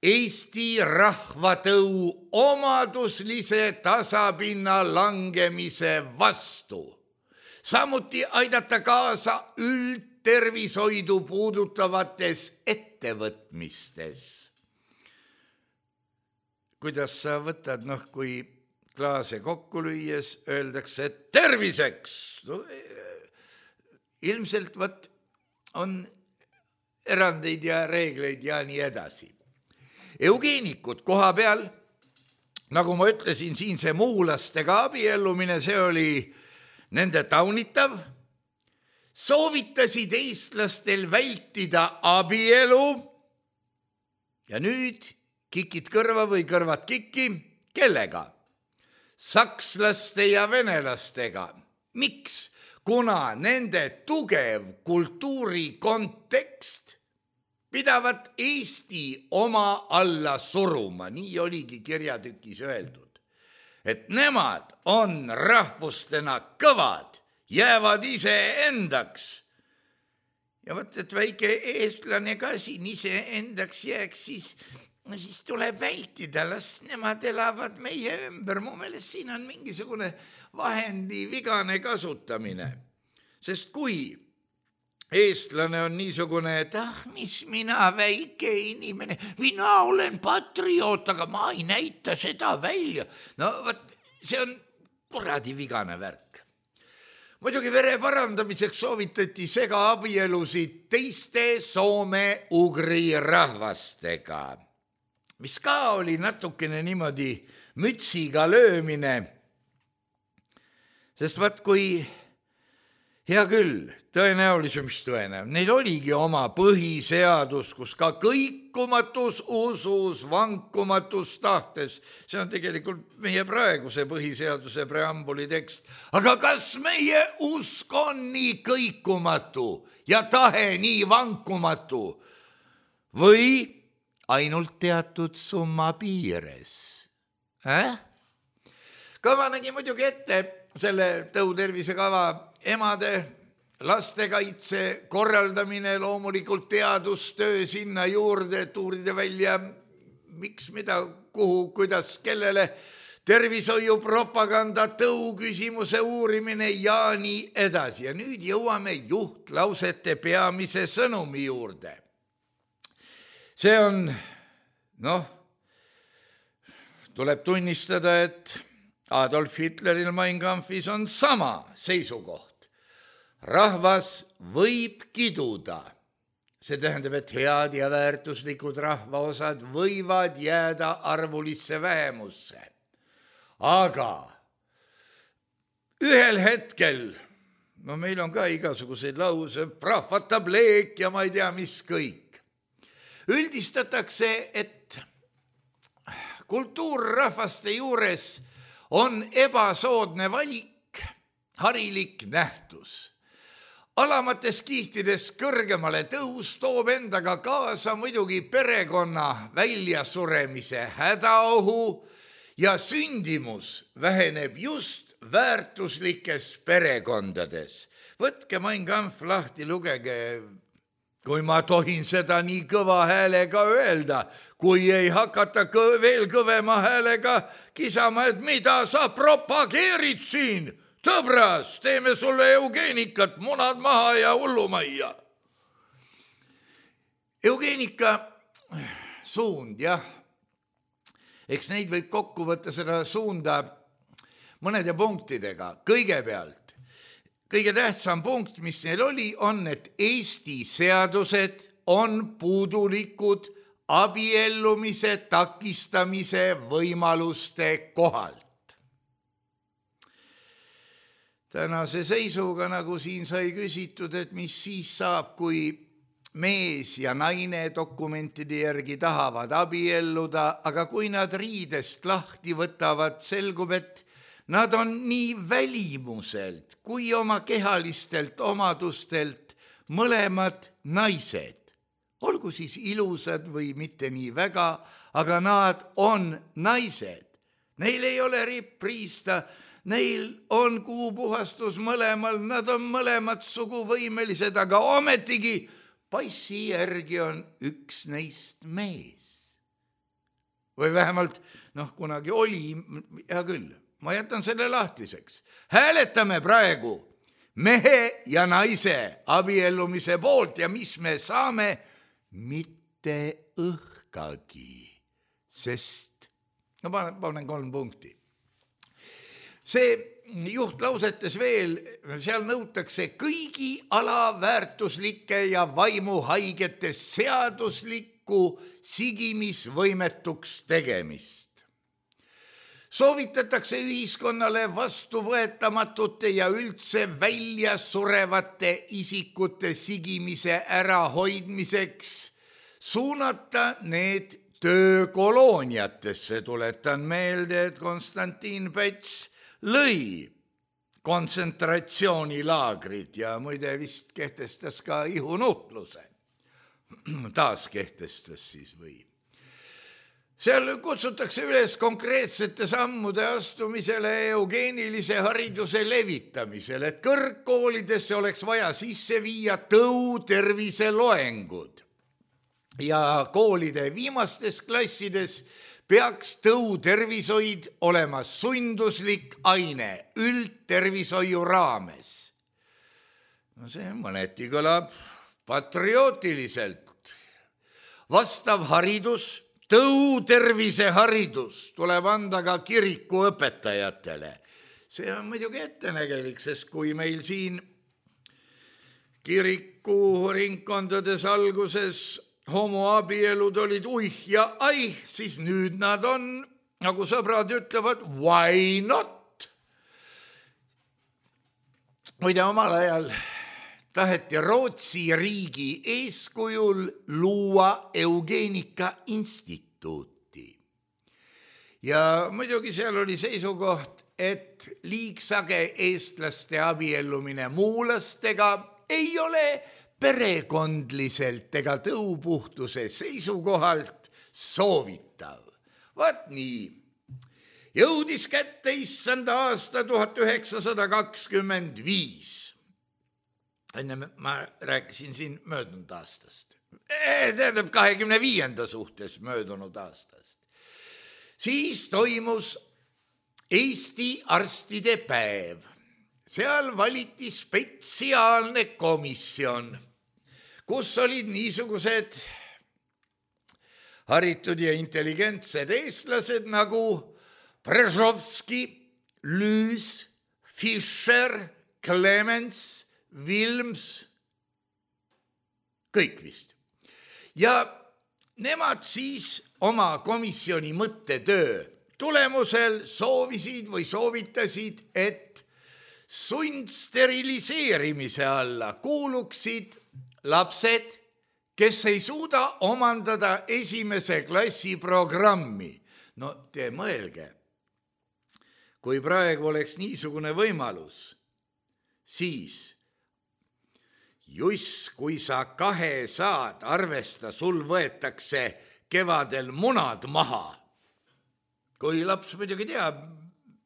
Eesti rahvatõu omaduslise tasapinna langemise vastu. Samuti aidata kaasa üldtervishoidu puudutavates ettevõtmistes. Kuidas sa võtad, noh, kui klaase kokku lüües öeldakse, et terviseks? No, ilmselt võt on erandeid ja reegleid ja nii edasi. Eugeenikud koha peal, nagu ma ütlesin, siin see muulastega abiellumine, see oli nende taunitav, soovitasid eestlastel vältida abielu ja nüüd kikid kõrva või kõrvad kikki, kellega? Sakslaste ja venelastega. Miks? Kuna nende tugev kultuurikontekst pidavat Eesti oma alla suruma, nii oligi kirjatükis öeldud, et nemad on rahvustena kõvad, jäävad ise endaks. Ja võt, et väike eestlane ka siin ise endaks jääks, siis, no siis tuleb vältida, las nemad elavad meie ümber. Mu meelest siin on mingisugune vahendi vigane kasutamine. Sest kui eestlane on niisugune, et ah, mis mina väike inimene, mina olen patrioot, aga ma ei näita seda välja. No võt, see on kuradi vigane värk. Muidugi vere parandamiseks soovitati sega abielusid teiste soome-ugri rahvastega, mis ka oli natukene niimoodi mütsiga löömine. Sest vaat, kui Hea küll, tõenäoliselt, mis tõenäoliselt. Neil oligi oma põhiseadus, kus ka kõikumatus usus, vankumatus tahtes. See on tegelikult meie praeguse põhiseaduse preambuli tekst. Aga kas meie usk on nii kõikumatu ja tahe nii vankumatu või ainult teatud summa piires? Äh? Kava nägi muidugi ette selle tõutervisekava emade lastekaitse korraldamine, loomulikult teadustöö sinna juurde, et uurida välja, miks, mida, kuhu, kuidas, kellele, tervishoiu propaganda, tõu küsimuse uurimine ja nii edasi. Ja nüüd jõuame juhtlausete peamise sõnumi juurde. See on, noh, tuleb tunnistada, et Adolf Hitleril Mein Kampfis on sama seisukoht. Rahvas võib kiduda. See tähendab, et head ja väärtuslikud rahvaosad võivad jääda arvulisse vähemusse. Aga ühel hetkel, no meil on ka igasuguseid lause, prahvatab leek ja ma ei tea, mis kõik. Üldistatakse, et kultuurrahvaste juures on ebasoodne valik, harilik nähtus. Alamates kihtides kõrgemale tõus toob endaga kaasa muidugi perekonna väljasuremise hädaohu ja sündimus väheneb just väärtuslikes perekondades. Võtke Mein Kampf lahti, lugege, kui ma tohin seda nii kõva häälega öelda, kui ei hakata kõ- veel kõvema häälega kisama, et mida sa propageerid siin? Tõbras, teeme sulle eugeenikat, munad maha ja hullumajja. Eugeenika suund, jah. Eks neid võib kokku võtta seda suunda mõnede punktidega. Kõigepealt, kõige tähtsam punkt, mis neil oli, on, et Eesti seadused on puudulikud abiellumise takistamise võimaluste kohalt. Tänase seisuga, nagu siin sai küsitud, et mis siis saab, kui mees ja naine dokumentide järgi tahavad abielluda, aga kui nad riidest lahti võtavad, selgub, et nad on nii välimuselt kui oma kehalistelt omadustelt mõlemad naised. Olgu siis ilusad või mitte nii väga, aga nad on naised. Neil ei ole ripriista, neil on kuupuhastus mõlemal, nad on mõlemad suguvõimelised, aga ometigi passi järgi on üks neist mees. Või vähemalt, noh, kunagi oli, hea küll, ma jätan selle lahtiseks. Hääletame praegu mehe ja naise abiellumise poolt ja mis me saame? Mitte õhkagi, sest, no panen, panen kolm punkti. See juhtlausetes veel, seal nõutakse kõigi alaväärtuslike ja vaimuhaigete seaduslikku sigimisvõimetuks tegemist. Soovitatakse ühiskonnale vastuvõetamatute ja üldse välja surevate isikute sigimise ärahoidmiseks suunata need töökolooniatesse. Tuletan meelde, et Konstantin Päts lõi kontsentratsioonilaagrid ja muide vist kehtestas ka ihunuhtluse. Taas kehtestas siis või. Seal kutsutakse üles konkreetsete sammude astumisele eugeenilise hariduse levitamisele, et kõrgkoolidesse oleks vaja sisse viia tõuterviseloengud ja koolide viimastes klassides peaks tõutervishoid olema sunduslik aine üldtervishoiu raames. No see mõneti kõlab patriootiliselt. Vastav haridus, tõuterviseharidus tuleb anda ka kiriku õpetajatele. See on muidugi ettenägelik, sest kui meil siin kiriku ringkondades alguses homoabielud olid uih ja aih, siis nüüd nad on, nagu sõbrad ütlevad, why not? muide, omal ajal taheti Rootsi riigi eeskujul luua eugeenika instituuti. Ja muidugi seal oli seisukoht, et liigsage eestlaste abiellumine muulastega ei ole perekondliselt ega tõupuhtuse seisukohalt soovitav. Vaat nii. Jõudis kätte issanda aasta tuhat üheksasada kakskümmend viis. Enne ma rääkisin siin möödunud aastast. Tähendab kahekümne viienda suhtes möödunud aastast. Siis toimus Eesti arstide päev. Seal valiti spetsiaalne komisjon, kus olid niisugused haritud ja intelligentsed eestlased nagu Brežovski, Lüüs, Fischer, Clemens, Vilms, kõik vist. Ja nemad siis oma komisjoni mõttetöö tulemusel soovisid või soovitasid, et sundsteriliseerimise alla kuuluksid lapsed, kes ei suuda omandada esimese klassi programmi. No te mõelge, kui praegu oleks niisugune võimalus, siis just kui sa kahe saad, arvesta, sul võetakse kevadel munad maha. Kui laps muidugi teab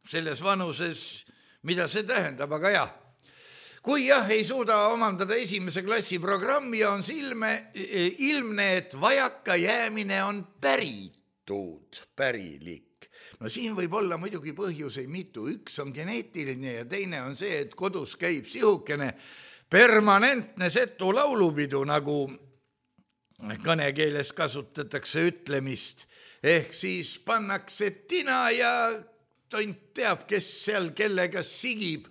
selles vanuses, mida see tähendab, aga jah. Kui jah, ei suuda omandada esimese klassi programmi, on silme, ilmne, et vajaka jäämine on päritud, pärilik. No siin võib olla muidugi põhjuseid mitu. Üks on geneetiline ja teine on see, et kodus käib sihukene permanentne setu laulupidu, nagu kõnekeeles kasutatakse ütlemist. Ehk siis pannakse tina ja tont teab, kes seal kellega sigib.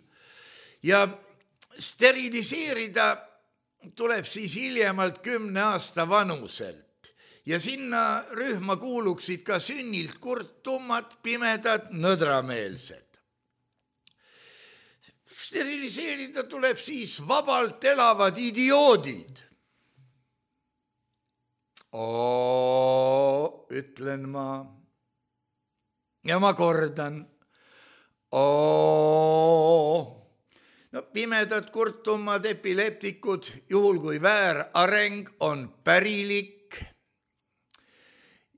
Ja steriliseerida tuleb siis hiljemalt kümne aasta vanuselt. Ja sinna rühma kuuluksid ka sünnilt kurtumad, pimedad, nõdrameelsed. Steriliseerida tuleb siis vabalt elavad idioodid. Oo, ütlen ma. Ja ma kordan. Oo. No pimedad, kurtumad, epileptikud, juhul kui väärareng on pärilik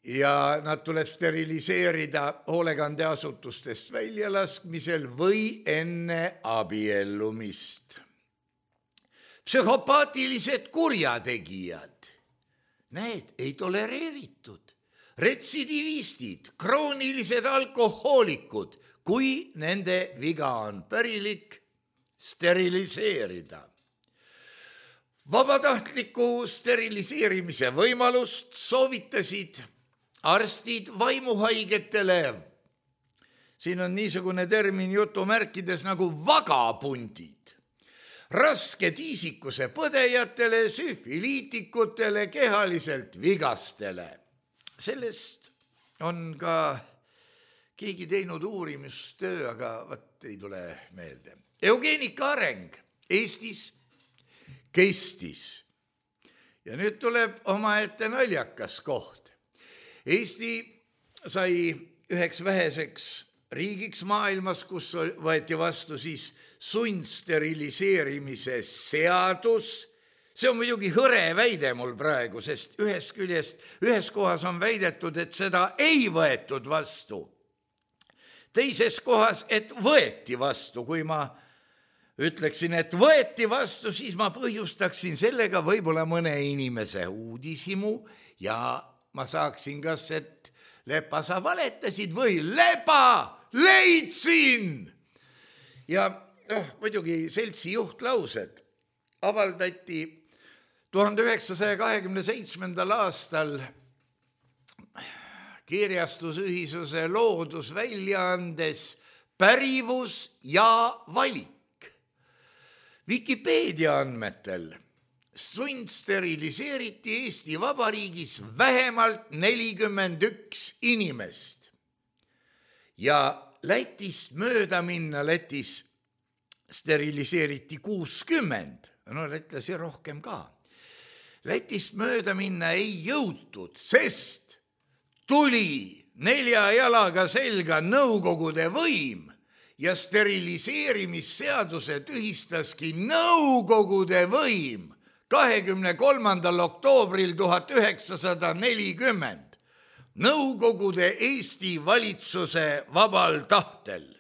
ja nad tuleb steriliseerida hoolekandeasutustest väljalaskmisel või enne abiellumist. Psühhopaatilised kurjategijad. Need ei tolereeritud. Retsidivistid, kroonilised alkohoolikud, kui nende viga on pärilik, steriliseerida. Vabatahtliku steriliseerimise võimalust soovitasid arstid vaimuhaigetele. Siin on niisugune termin jutumärkides nagu vagapundid. Raske tiisikuse põdejatele, süfiliitikutele, kehaliselt vigastele. Sellest on ka keegi teinud uurimustöö, aga võt ei tule meelde. Eugeenika areng Eestis kestis. Ja nüüd tuleb omaette naljakas koht. Eesti sai üheks väheseks riigiks maailmas, kus võeti vastu siis sundsteriliseerimise seadus. See on muidugi hõre väide mul praegu, sest ühes küljest, ühes kohas on väidetud, et seda ei võetud vastu. Teises kohas, et võeti vastu. Kui ma ütleksin, et võeti vastu, siis ma põhjustaksin sellega võib-olla mõne inimese uudishimu ja ma saaksin kas, et Lepa, sa valetasid või Lepa, leidsin! Ja oh, muidugi seltsi juhtlaused avaldati tuhande üheksasaja kahekümne seitsmendal aastal kirjastusühisuse loodusväljaandes Pärivus ja valik. Wikipeedia andmetel sundsteriliseeriti Eesti Vabariigis vähemalt nelikümmend üks inimest. Ja Lätist mööda minna, Lätis steriliseeriti kuuskümmend, no lätlasi rohkem ka. Lätist mööda minna ei jõutud, sest tuli nelja jalaga selga Nõukogude võim ja steriliseerimisseaduse tühistaski Nõukogude võim kahekümne kolmandal oktoobril tuhat üheksasada nelikümmend Nõukogude Eesti valitsuse vabal tahtel.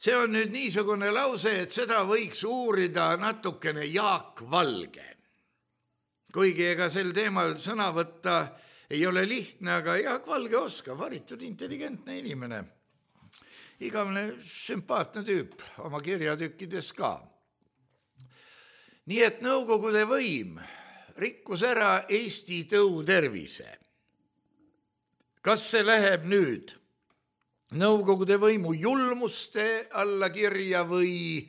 See on nüüd niisugune lause, et seda võiks uurida natukene Jaak Valge. Kuigi ega sel teemal sõna võtta ei ole lihtne, aga Jaak Valge oskab, haritud intelligentne inimene. Igavene sümpaatne tüüp oma kirjatükkides ka. Nii et Nõukogude võim rikkus ära Eesti tõutervise. Kas see läheb nüüd Nõukogude võimu julmuste alla kirja või,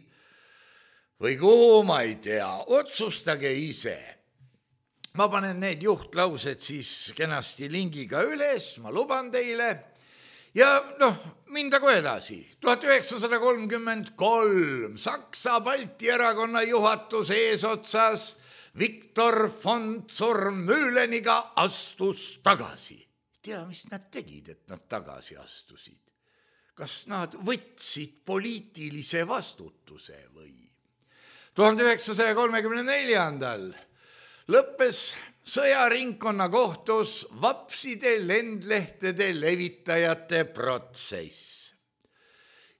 või kuhu ma ei tea, otsustage ise. Ma panen need juhtlaused siis kenasti lingiga üles, ma luban teile. Ja noh, mindagu edasi. tuhat üheksasada kolmkümmend kolm Saksa Balti erakonna juhatus eesotsas Viktor von Zurmühleniga astus tagasi. Tea, mis nad tegid, et nad tagasi astusid? Kas nad võtsid poliitilise vastutuse või? tuhande üheksasaja kolmekümne neljandal lõppes sõjaringkonna kohtus vapside lendlehtede levitajate protsess.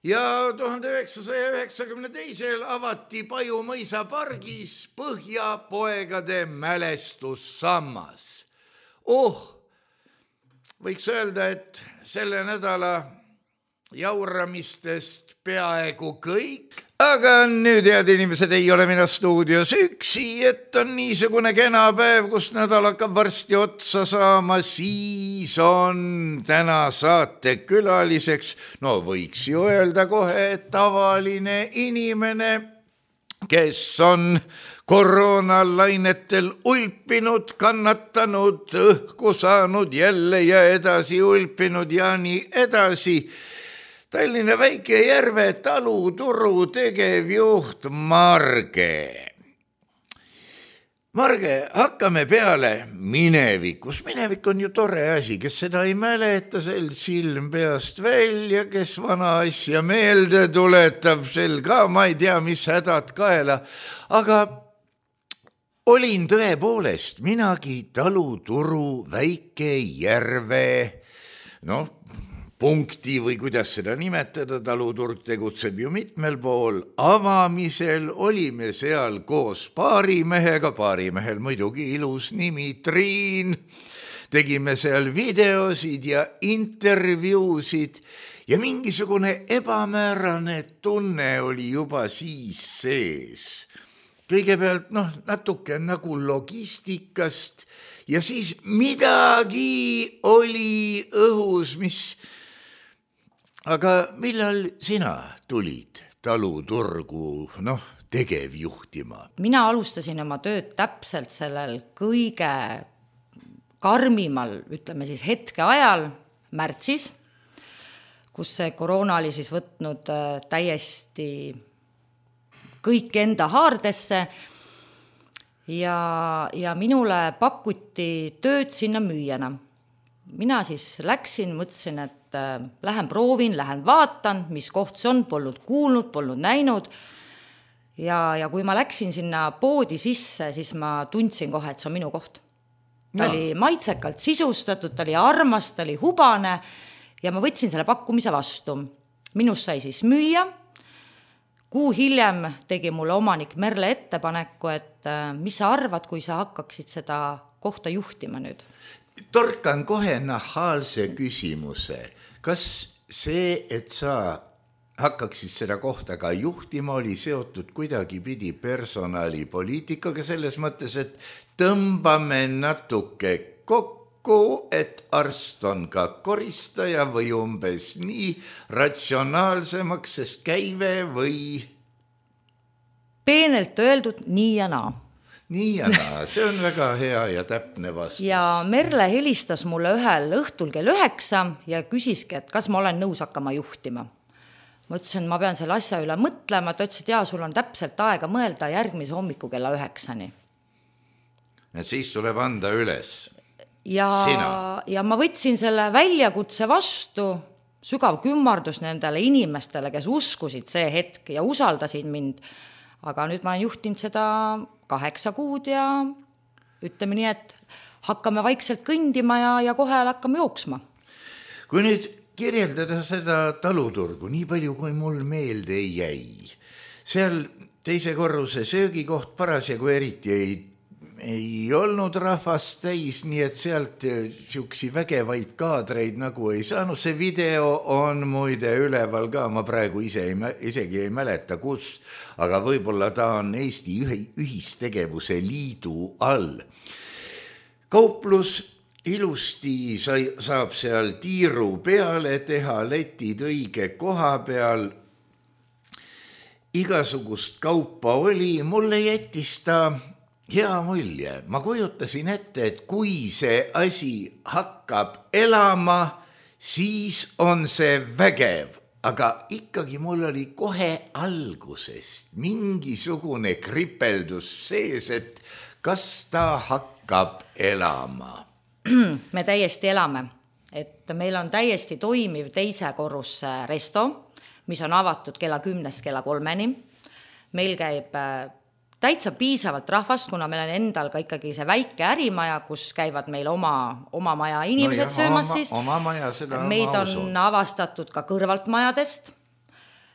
Ja tuhande üheksasaja üheksakümne teisel avati Paju mõisa pargis Põhjapoegade mälestussammas. Oh, võiks öelda, et selle nädala jauramistest peaaegu kõik. Aga nüüd, head inimesed, ei ole mina stuudios üksi, et on niisugune kena päev, kus nädal hakkab varsti otsa saama, siis on täna saate külaliseks, no võiks ju öelda kohe, tavaline inimene, kes on koroonalainetel ulpinud, kannatanud, õhku saanud jälle ja edasi ulpinud ja nii edasi. Tallinna Väike-Järve taluturu tegevjuht Marge. Marge, hakkame peale minevikus. Minevik on ju tore asi, kes seda ei mäleta, sel silm peast välja, kes vana asja meelde tuletab, sel ka ma ei tea, mis hädad kaela. Aga olin tõepoolest minagi taluturu Väike-Järve, noh, punkti või kuidas seda nimetada, taluturg tegutseb ju mitmel pool, avamisel olime seal koos paarimehega, paarimehel muidugi ilus nimi Triin, tegime seal videosid ja intervjuusid ja mingisugune ebamäärane tunne oli juba siis sees. Kõigepealt noh, natuke nagu logistikast ja siis midagi oli õhus, mis... Aga millal sina tulid taluturgu noh, tegevjuhtima? Mina alustasin oma tööd täpselt sellel kõige karmimal, ütleme siis hetke ajal, märtsis, kus see koroona oli siis võtnud täiesti kõik enda haardesse ja, ja minule pakuti tööd sinna müüjana. Mina siis läksin, mõtlesin, et lähen proovin, lähen vaatan, mis koht see on, polnud kuulnud, polnud näinud. Ja, ja kui ma läksin sinna poodi sisse, siis ma tundsin kohe, et see on minu koht. Ta no. oli maitsekalt sisustatud, ta oli armas, ta oli hubane ja ma võtsin selle pakkumise vastu. Minust sai siis müüa. Kuu hiljem tegi mulle omanik Merle ettepaneku, et mis sa arvad, kui sa hakkaksid seda kohta juhtima nüüd? Torkan kohe nahaalse küsimuse. Kas see, et sa hakkaksid seda kohta ka juhtima, oli seotud kuidagi pidi personalipoliitikaga selles mõttes, et tõmbame natuke kokku, et arst on ka koristaja või umbes nii ratsionaalsemaks, sest käive või... Peenelt öeldud nii ja naa. Nii ja naa, see on väga hea ja täpne vastus. Ja Merle helistas mulle ühel õhtul kell üheksa ja küsiski, et kas ma olen nõus hakkama juhtima. ma ütlesin, ma pean selle asja üle mõtlema, ta ütles, et jaa, sul on täpselt aega mõelda järgmise hommiku kella üheksani. Et siis tuleb anda üles ja, sina. Ja ma võtsin selle väljakutse vastu, sügav kümmardus nendele inimestele, kes uskusid see hetk ja usaldasid mind. Aga nüüd ma olen juhtinud seda kaheksa kuud ja ütleme nii, et hakkame vaikselt kõndima ja, ja kohe hakkame jooksma. Kui nüüd kirjeldada seda taluturgu, nii palju kui mul meelde ei jäi, seal teise korruse söögikoht parasjagu eriti ei ei olnud rahvast täis, nii et sealt siuksi vägevaid kaadreid nagu ei saanud. See video on muide üleval ka, ma praegu ise ei, isegi ei mäleta kus, aga võib-olla ta on Eesti ühistegevuse liidu all. Kauplus ilusti sai, saab seal tiiru peale teha, letid õige koha peal. Igasugust kaupa oli, mulle jättis ta hea mulje. Ma kujutasin ette, et kui see asi hakkab elama, siis on see vägev, aga ikkagi mul oli kohe algusest mingisugune kripeldus sees, et kas ta hakkab elama. Me täiesti elame, et meil on täiesti toimiv teise korruse resto, mis on avatud kella kümnest kella kolmeni. Meil käib täitsa piisavalt rahvast, kuna meil on endal ka ikkagi see väike ärimaja, kus käivad meil oma, oma maja inimesed no jah, söömas oma, siis. Oma maja, seda meid on usun. Avastatud ka kõrvalt majadest,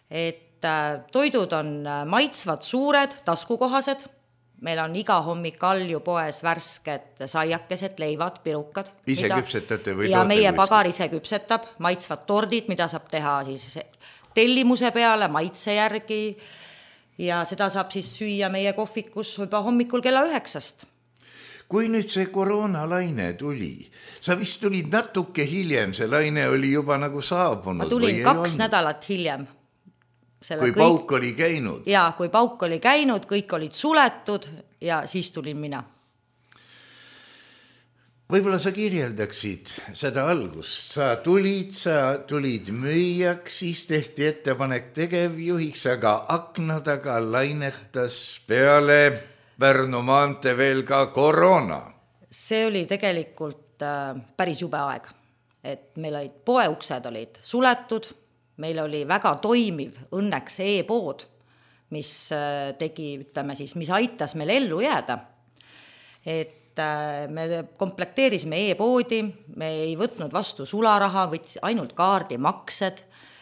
et toidud on maitsvad, suured, taskukohased. Meil on iga hommik Alju poes värsked saiakesed, leivad, pirukad. Ise mida, küpsetate või ja toote meie kuskil? Pagar ise küpsetab, maitsvad tordid, mida saab teha siis tellimuse peale, maitse järgi. Ja seda saab siis süüa meie kohvikus juba hommikul kella üheksast. Kui nüüd see koroonalaine tuli, sa vist tulid natuke hiljem, see laine oli juba nagu saabunud. Ma tulin kaks nädalat hiljem. Selle kui kõik... pauk oli käinud. Jaa, kui pauk oli käinud, kõik olid suletud ja siis tulin mina. Võib-olla sa kirjeldaksid seda algust. Sa tulid, sa tulid müüjaks, siis tehti ettepanek tegevjuhiks, aga akna taga lainetas peale Pärnu maante veel ka koroona. See oli tegelikult äh, päris jube aeg. Et meil olid poeuksed olid suletud, meil oli väga toimiv õnneks e-pood, mis äh, tegi, ütleme siis, mis aitas meil ellu jääda. Et me komplekteerisime e-poodi, me ei võtnud vastu sularaha, võtsi ainult kaardimaksed,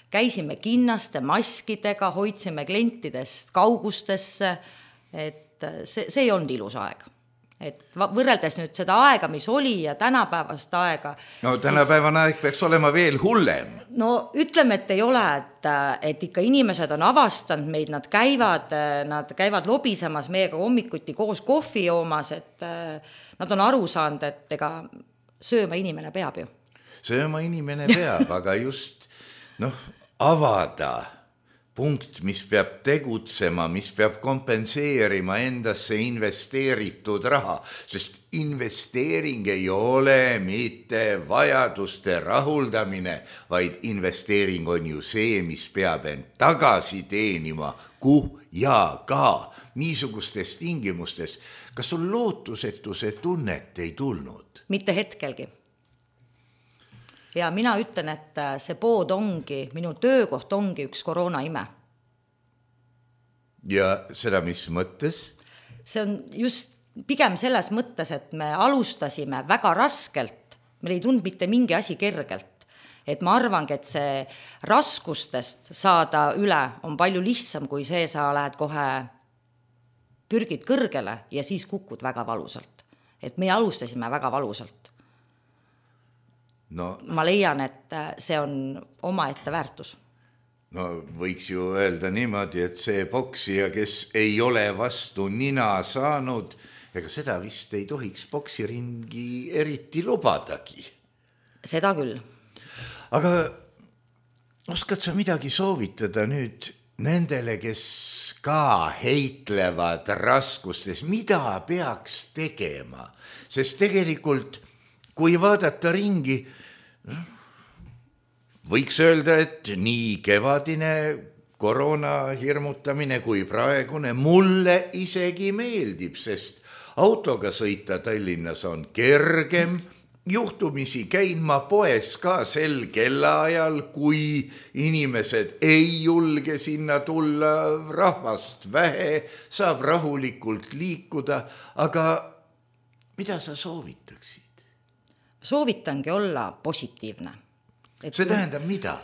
käisime kinnaste maskidega, hoidsime klientidest kaugustesse, et see, see ei olnud ilus aeg. Et võrreldes nüüd seda aega, mis oli ja tänapäevast aega. No tänapäevane aeg peaks olema veel hullem. No ütleme, et ei ole, et, et ikka inimesed on avastanud meid, nad käivad, nad käivad lobisemas meiega hommikuti koos kohvi joomas, et nad on aru saanud, et ega sööma inimene peab ju. Sööma inimene peab, aga just noh, avada punkt, mis peab tegutsema, mis peab kompenseerima endasse investeeritud raha, sest investeering ei ole mitte vajaduste rahuldamine, vaid investeering on ju see, mis peab end tagasi teenima, kuh ja ka niisugustes tingimustes. Kas sul lootusetuse tunnet ei tulnud? Mitte hetkelgi. Ja mina ütlen, et see pood ongi, minu töökoht ongi üks koroona ime. Ja seda mis mõttes? See on just pigem selles mõttes, et me alustasime väga raskelt, meil ei tundnud mitte mingi asi kergelt. Et ma arvangi, et see raskustest saada üle on palju lihtsam, kui see sa lähed kohe pürgid kõrgele ja siis kukud väga valusalt. Et me alustasime väga valusalt. No, ma leian, et see on omaette väärtus. No võiks ju öelda niimoodi, et see boksija, kes ei ole vastu nina saanud, ega seda vist ei tohiks boksiringi eriti lubadagi. Seda küll. Aga oskad sa midagi soovitada nüüd nendele, kes ka heitlevad raskustes, mida peaks tegema? Sest tegelikult, kui vaadata ringi, võiks öelda, et nii kevadine koroona hirmutamine kui praegune mulle isegi meeldib, sest autoga sõita Tallinnas on kergem. Juhtumisi käin ma poes ka sel kellaajal, kui inimesed ei julge sinna tulla, rahvast vähe, saab rahulikult liikuda, aga mida sa soovitaksid? Soovitangi olla positiivne. Et see tähendab mida?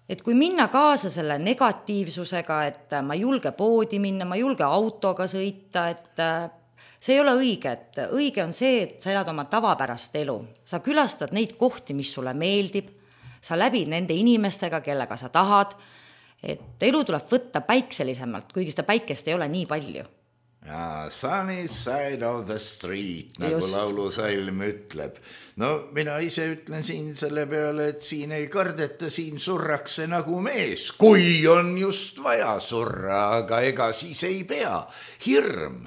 Et kui minna kaasa selle negatiivsusega, et ma ei julge poodi minna, ma ei julge autoga sõita, et see ei ole õige, et õige on see, et sa elad oma tavapärast elu. Sa külastad neid kohti, mis sulle meeldib, sa läbid nende inimestega, kellega sa tahad, et elu tuleb võtta päikselisemalt, kuigi seda päikest ei ole nii palju. Ja, sunny side of the street, nagu Just. laulusalm ütleb. No mina ise ütlen siin selle peale, et siin ei kardeta, siin surrakse nagu mees, kui on just vaja surra, aga ega siis ei pea. Hirm.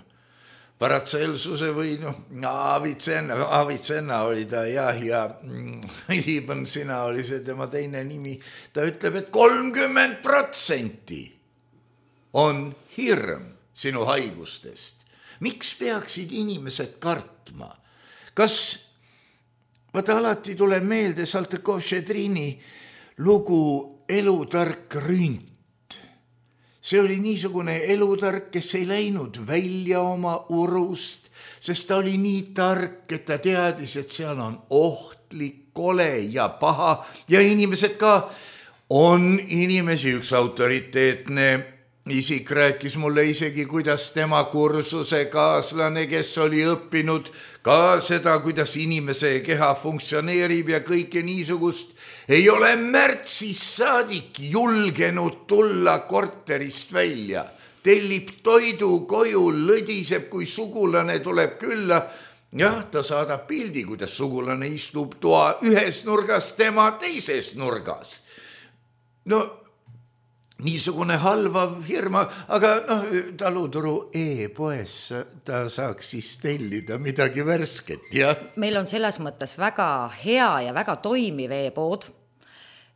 Paratselsuse või noh, Avitsenna, Avitsenna oli ta jah, ja Ibn Sina oli see tema teine nimi. Ta ütleb, et kolmkümmend protsenti on hirm sinu haigustest. Miks peaksid inimesed kartma? Kas, vaata alati tuleb meelde Saltõkov-Šedrini lugu Elutark rünt. See oli niisugune elutark, kes ei läinud välja oma urust, sest ta oli nii tark, et ta teadis, et seal on ohtlik, kole ja paha ja inimesed ka on inimesi. Üks autoriteetne isik rääkis mulle isegi, kuidas tema kursuse kaaslane, kes oli õppinud ka seda, kuidas inimese keha funktsioneerib ja kõike niisugust, ei ole märtsis saadik julgenud tulla korterist välja. Tellib toidu koju, lõdiseb, kui sugulane tuleb külla. Jah, ta saadab pildi, kuidas sugulane istub toa ühes nurgas, tema teises nurgas. No, niisugune halvav hirma, aga noh, taluturu e-poes ta saaks siis tellida midagi värsket, jah? Meil on selles mõttes väga hea ja väga toimiv e-pood,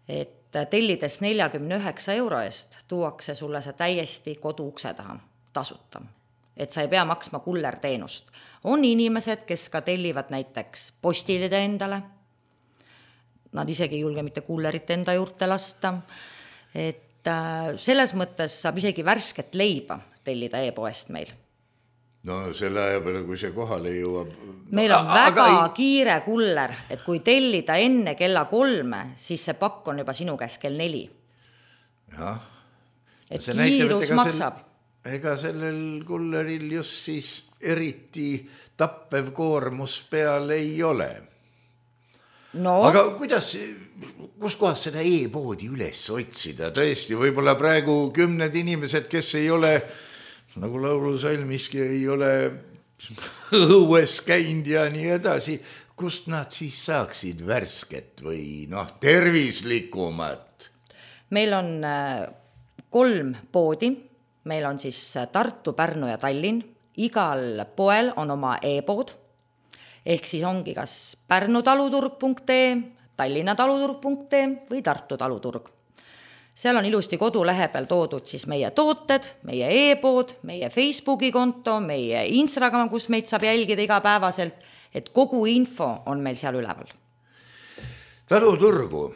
et tellides neljakümne üheksa euro eest tuuakse sulle see täiesti kodu ukse taha tasuta. Et sa ei pea maksma kullerteenust. On inimesed, kes ka tellivad näiteks postidede endale. Nad isegi ei julge mitte kullerit enda juurde lasta. Et selles mõttes saab isegi värsket leiba tellida e-poest meil. No selle aja peale, kui see kohale jõuab. Meil on A väga ei... kiire kuller, et kui tellida enne kella kolme, siis see pakk on juba sinu käes kell neli. Jah. Et see kiirus näitab, maksab. Sel, ega sellel kulleril just siis eriti tappev koormus peal ei ole. No. Aga kuidas, kus kohas seda e-poodi üles otsida? Tõesti, võib-olla praegu kümned inimesed, kes ei ole, nagu laulusalmiski, ei ole õues käinud ja nii edasi, kust nad siis saaksid värsket või noh, tervislikumat? Meil on kolm poodi, meil on siis Tartu, Pärnu ja Tallinn, igal poel on oma e-pood, ehk siis ongi kas pärnu taluturg punkt ee, Tallinna taluturg punkt ee või Tartu taluturg. Seal on ilusti kodulehe peal toodud siis meie tooted, meie e-pood, meie Facebooki konto, meie Instagram, kus meid saab jälgida igapäevaselt, et kogu info on meil seal üleval. Taluturgu,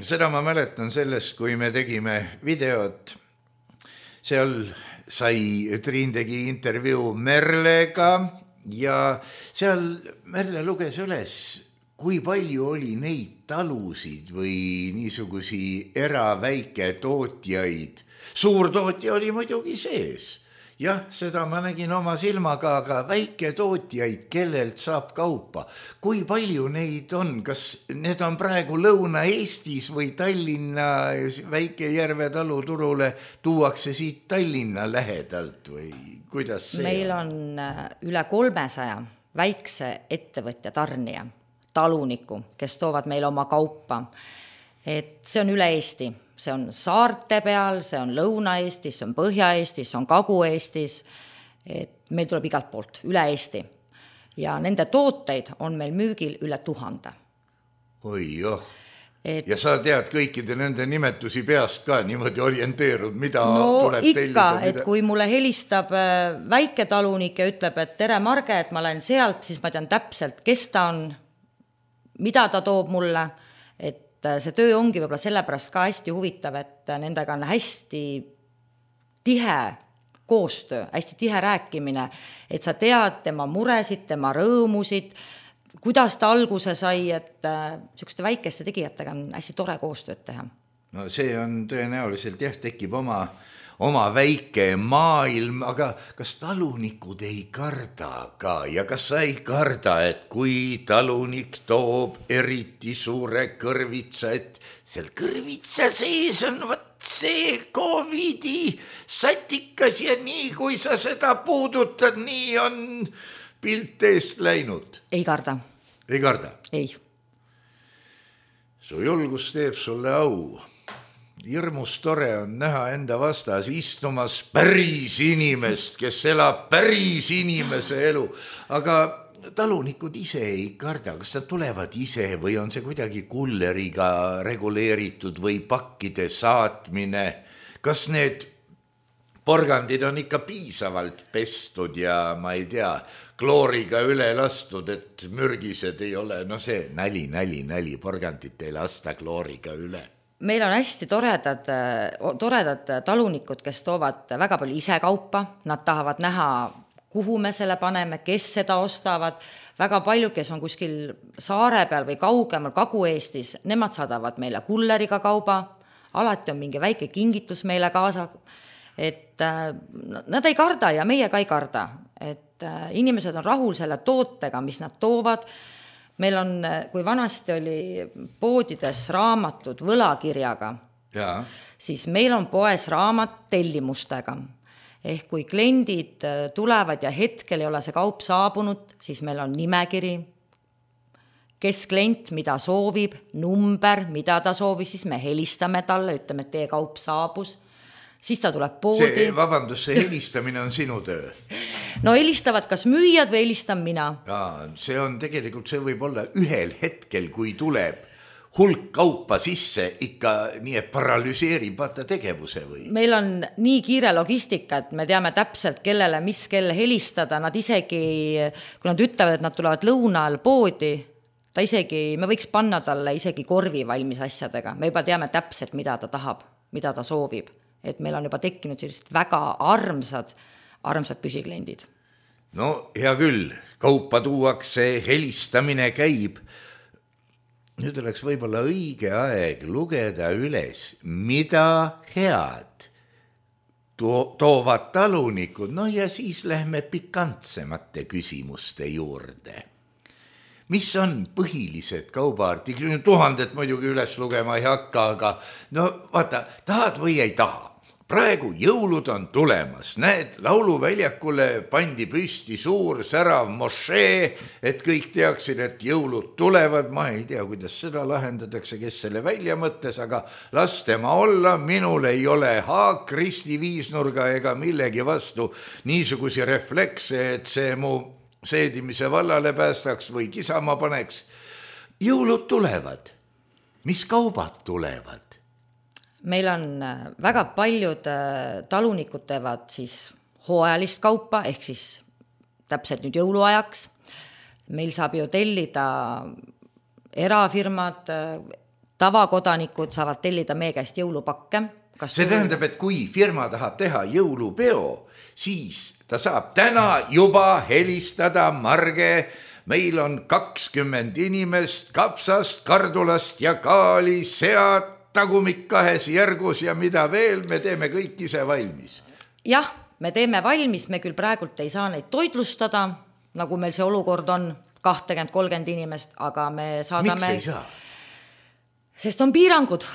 seda ma mäletan sellest, kui me tegime videot. Seal sai, Triin tegi intervjuu Merlega ja seal Merle luges üles, kui palju oli neid talusid või niisugusi eraväike tootjaid. Suur tootja oli muidugi sees. Jah, seda ma nägin oma silmaga, aga väike tootjaid, kellelt saab kaupa. Kui palju neid on? Kas need on praegu Lõuna-Eestis või Tallinna Väike-Järve taluturule tuuakse siit Tallinna lähedalt või kuidas see Meil on üle kolmesaja väikse ettevõtja tarnija, taluniku, kes toovad meile oma kaupa. Et see on üle Eesti. See on saarte peal, see on Lõuna-Eestis, see on Põhja-Eestis, see on Kagu-Eestis. Et meil tuleb igalt poolt, üle Eesti. Ja nende tooteid on meil müügil üle tuhande. Oi joh. Et... ja sa tead kõikide nende nimetusi peast ka niimoodi orienteerud, mida no, tuleb ikka, tellida? Mida... et kui mulle helistab väike talunik ja ütleb, et tere Marge, et ma olen sealt, siis ma tean täpselt, kes ta on, mida ta toob mulle, et see töö ongi võib-olla sellepärast ka hästi huvitav, et nendega on hästi tihe koostöö, hästi tihe rääkimine, et sa tead tema muresid, tema rõõmusid, kuidas ta alguse sai, et niisuguste väikeste tegijatega on hästi tore koostööd teha. No see on tõenäoliselt, jah, tekib oma, oma väike maailm, aga kas talunikud ei karda ka ja kas sa ei karda, et kui talunik toob eriti suure kõrvitsa, et seal kõrvitsa sees on võt see Covidi satikas ja nii, kui sa seda puudutad, nii on pilt eest läinud. Ei karda. Ei karda? Ei. Su julgus teeb sulle au. Hirmus tore on näha enda vastas istumas päris inimest, kes elab päris inimese elu. Aga talunikud ise ei karda, kas nad tulevad ise või on see kuidagi kulleriga reguleeritud või pakkide saatmine? Kas need porgandid on ikka piisavalt pestud ja ma ei tea, klooriga üle lastud, et mürgised ei ole, no see näli, näli, näli, porgandit ei lasta klooriga üle. Meil on hästi toredad, toredad talunikud, kes toovad väga palju ise kaupa, nad tahavad näha, kuhu me selle paneme, kes seda ostavad, väga palju, kes on kuskil saare peal või kaugemal Kagu-Eestis, nemad saadavad meile kulleriga kauba, alati on mingi väike kingitus meile kaasa, et nad ei karda ja meie ka ei karda, et inimesed on rahul selle tootega, mis nad toovad. Meil on, kui vanasti oli poodides raamatud võlakirjaga, ja. Siis meil on poes raamat tellimustega. Ehk kui kliendid tulevad ja hetkel ei ole see kaup saabunud, siis meil on nimekiri, kes klient mida soovib, number, mida ta soovib, siis me helistame talle, ütleme, et teie kaup saabus. Siis ta tuleb poodi. See, vabandus, see helistamine on sinu töö. No helistavad kas müüjad või helistan mina. Ja, see on tegelikult, see võib olla ühel hetkel, kui tuleb hulk kaupa sisse, ikka nii, et paralüseerib vaata tegevuse või? Meil on nii kiire logistika, et me teame täpselt, kellele mis kell helistada. Nad isegi, kui nad ütlevad, et nad tulevad lõunal poodi, ta isegi, me võiks panna talle isegi korvi valmis asjadega. Me juba teame täpselt, mida ta tahab, mida ta soovib. Et meil on juba tekkinud sellised väga armsad, armsad püsikliendid. No hea küll, kaupa tuuakse, helistamine käib. Nüüd oleks võib-olla õige aeg lugeda üles, mida head to- toovad talunikud, no ja siis lähme pikantsemate küsimuste juurde. Mis on põhilised kaubaartiklid? Tuhandet muidugi üles lugema ei hakka, aga no vaata, tahad või ei taha. Praegu jõulud on tulemas, näed, lauluväljakule pandi püsti suur särav mošee, et kõik teaksid, et jõulud tulevad. Ma ei tea, kuidas seda lahendatakse, kes selle välja mõtles, aga las tema olla, minul ei ole haak Kristi viisnurga ega millegi vastu niisugusi reflekse, et see mu seedimise vallale päästaks või kisama paneks. Jõulud tulevad. Mis kaubad tulevad? Meil on väga paljud talunikud teevad siis hooajalist kaupa, ehk siis täpselt nüüd jõuluajaks. Meil saab ju tellida erafirmad, tavakodanikud saavad tellida meie käest jõulupakke. Kas see tähendab, et kui firma tahab teha jõulupeo, siis ta saab täna juba helistada Marge. Meil on kakskümmend inimest kapsast, kardulast ja kaali, sead, tagumik kahes järgus ja mida veel, me teeme kõik ise valmis. Jah, me teeme valmis, me küll praegult ei saa neid toitlustada, nagu meil see olukord on, kakskümmend kolmkümmend inimest, aga me saadame... Miks ei saa? Sest on piirangud.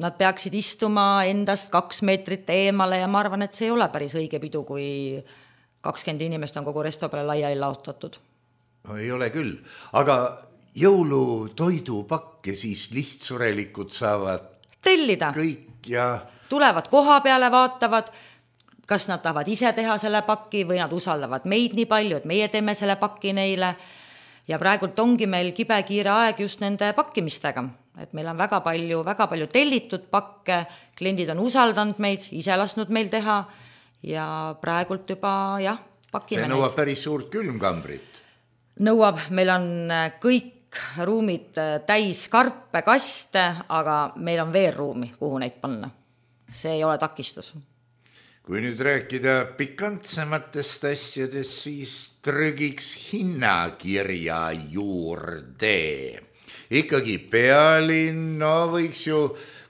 Nad peaksid istuma endast kaks meetrit eemale ja ma arvan, et see ei ole päris õige pidu, kui kakskümmend inimest on kogu resto peale laiali laotatud. No, ei ole küll, aga jõulutoidupakke siis lihtsurelikud saavad tellida. Kõik ja... Tulevad koha peale, vaatavad, kas nad tahavad ise teha selle pakki või nad usaldavad meid nii palju, et meie teeme selle pakki neile. ja praegult ongi meil kibekiire aeg just nende pakkimistega, et meil on väga palju, väga palju tellitud pakke, kliendid on usaldanud meid, ise lasknud meil teha ja praegult juba jah, pakime neid. See nõuab päris suurt külmkambrit. Nõuab, meil on kõik ruumid täis karpe, kaste, aga meil on veel ruumi, kuhu neid panna. See ei ole takistus. Kui nüüd rääkida pikantsematest asjadest, siis trügiks hinnakirja juurde. Ikkagi Pealinn, no võiks ju,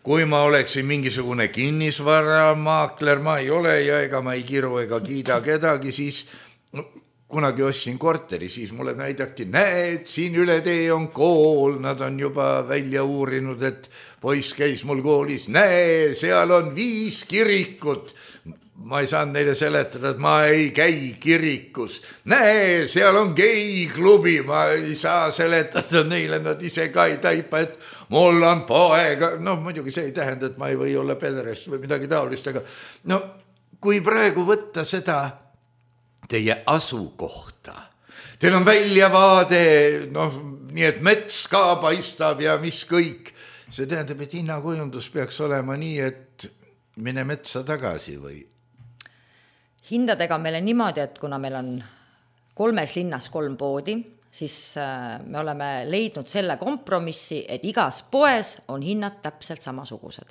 kui ma oleksin mingisugune kinnisvaramaakler, ma ei ole ja ega ma ei kiru ega kiida kedagi, siis no, kunagi ostsin korteri, siis mulle näidati, näed, siin üle tee on kool, nad on juba välja uurinud, et poiss käis mul koolis, näe, seal on viis kirikut. Ma ei saanud neile seletada, et ma ei käi kirikus. Näe, seal on geiklubi, ma ei saa seletada neile, nad ise ka ei taipa, et mul on poeg. No muidugi see ei tähenda, et ma ei või olla pederast või midagi taolist, aga no kui praegu võtta seda teie asukohta. Teil on väljavaade, noh, nii et mets ka paistab ja mis kõik. See tähendab, et hinnakujundus peaks olema nii, et mine metsa tagasi või? Hindadega meile niimoodi, et kuna meil on kolmes linnas kolm poodi, siis me oleme leidnud selle kompromissi, et igas poes on hinnad täpselt samasugused.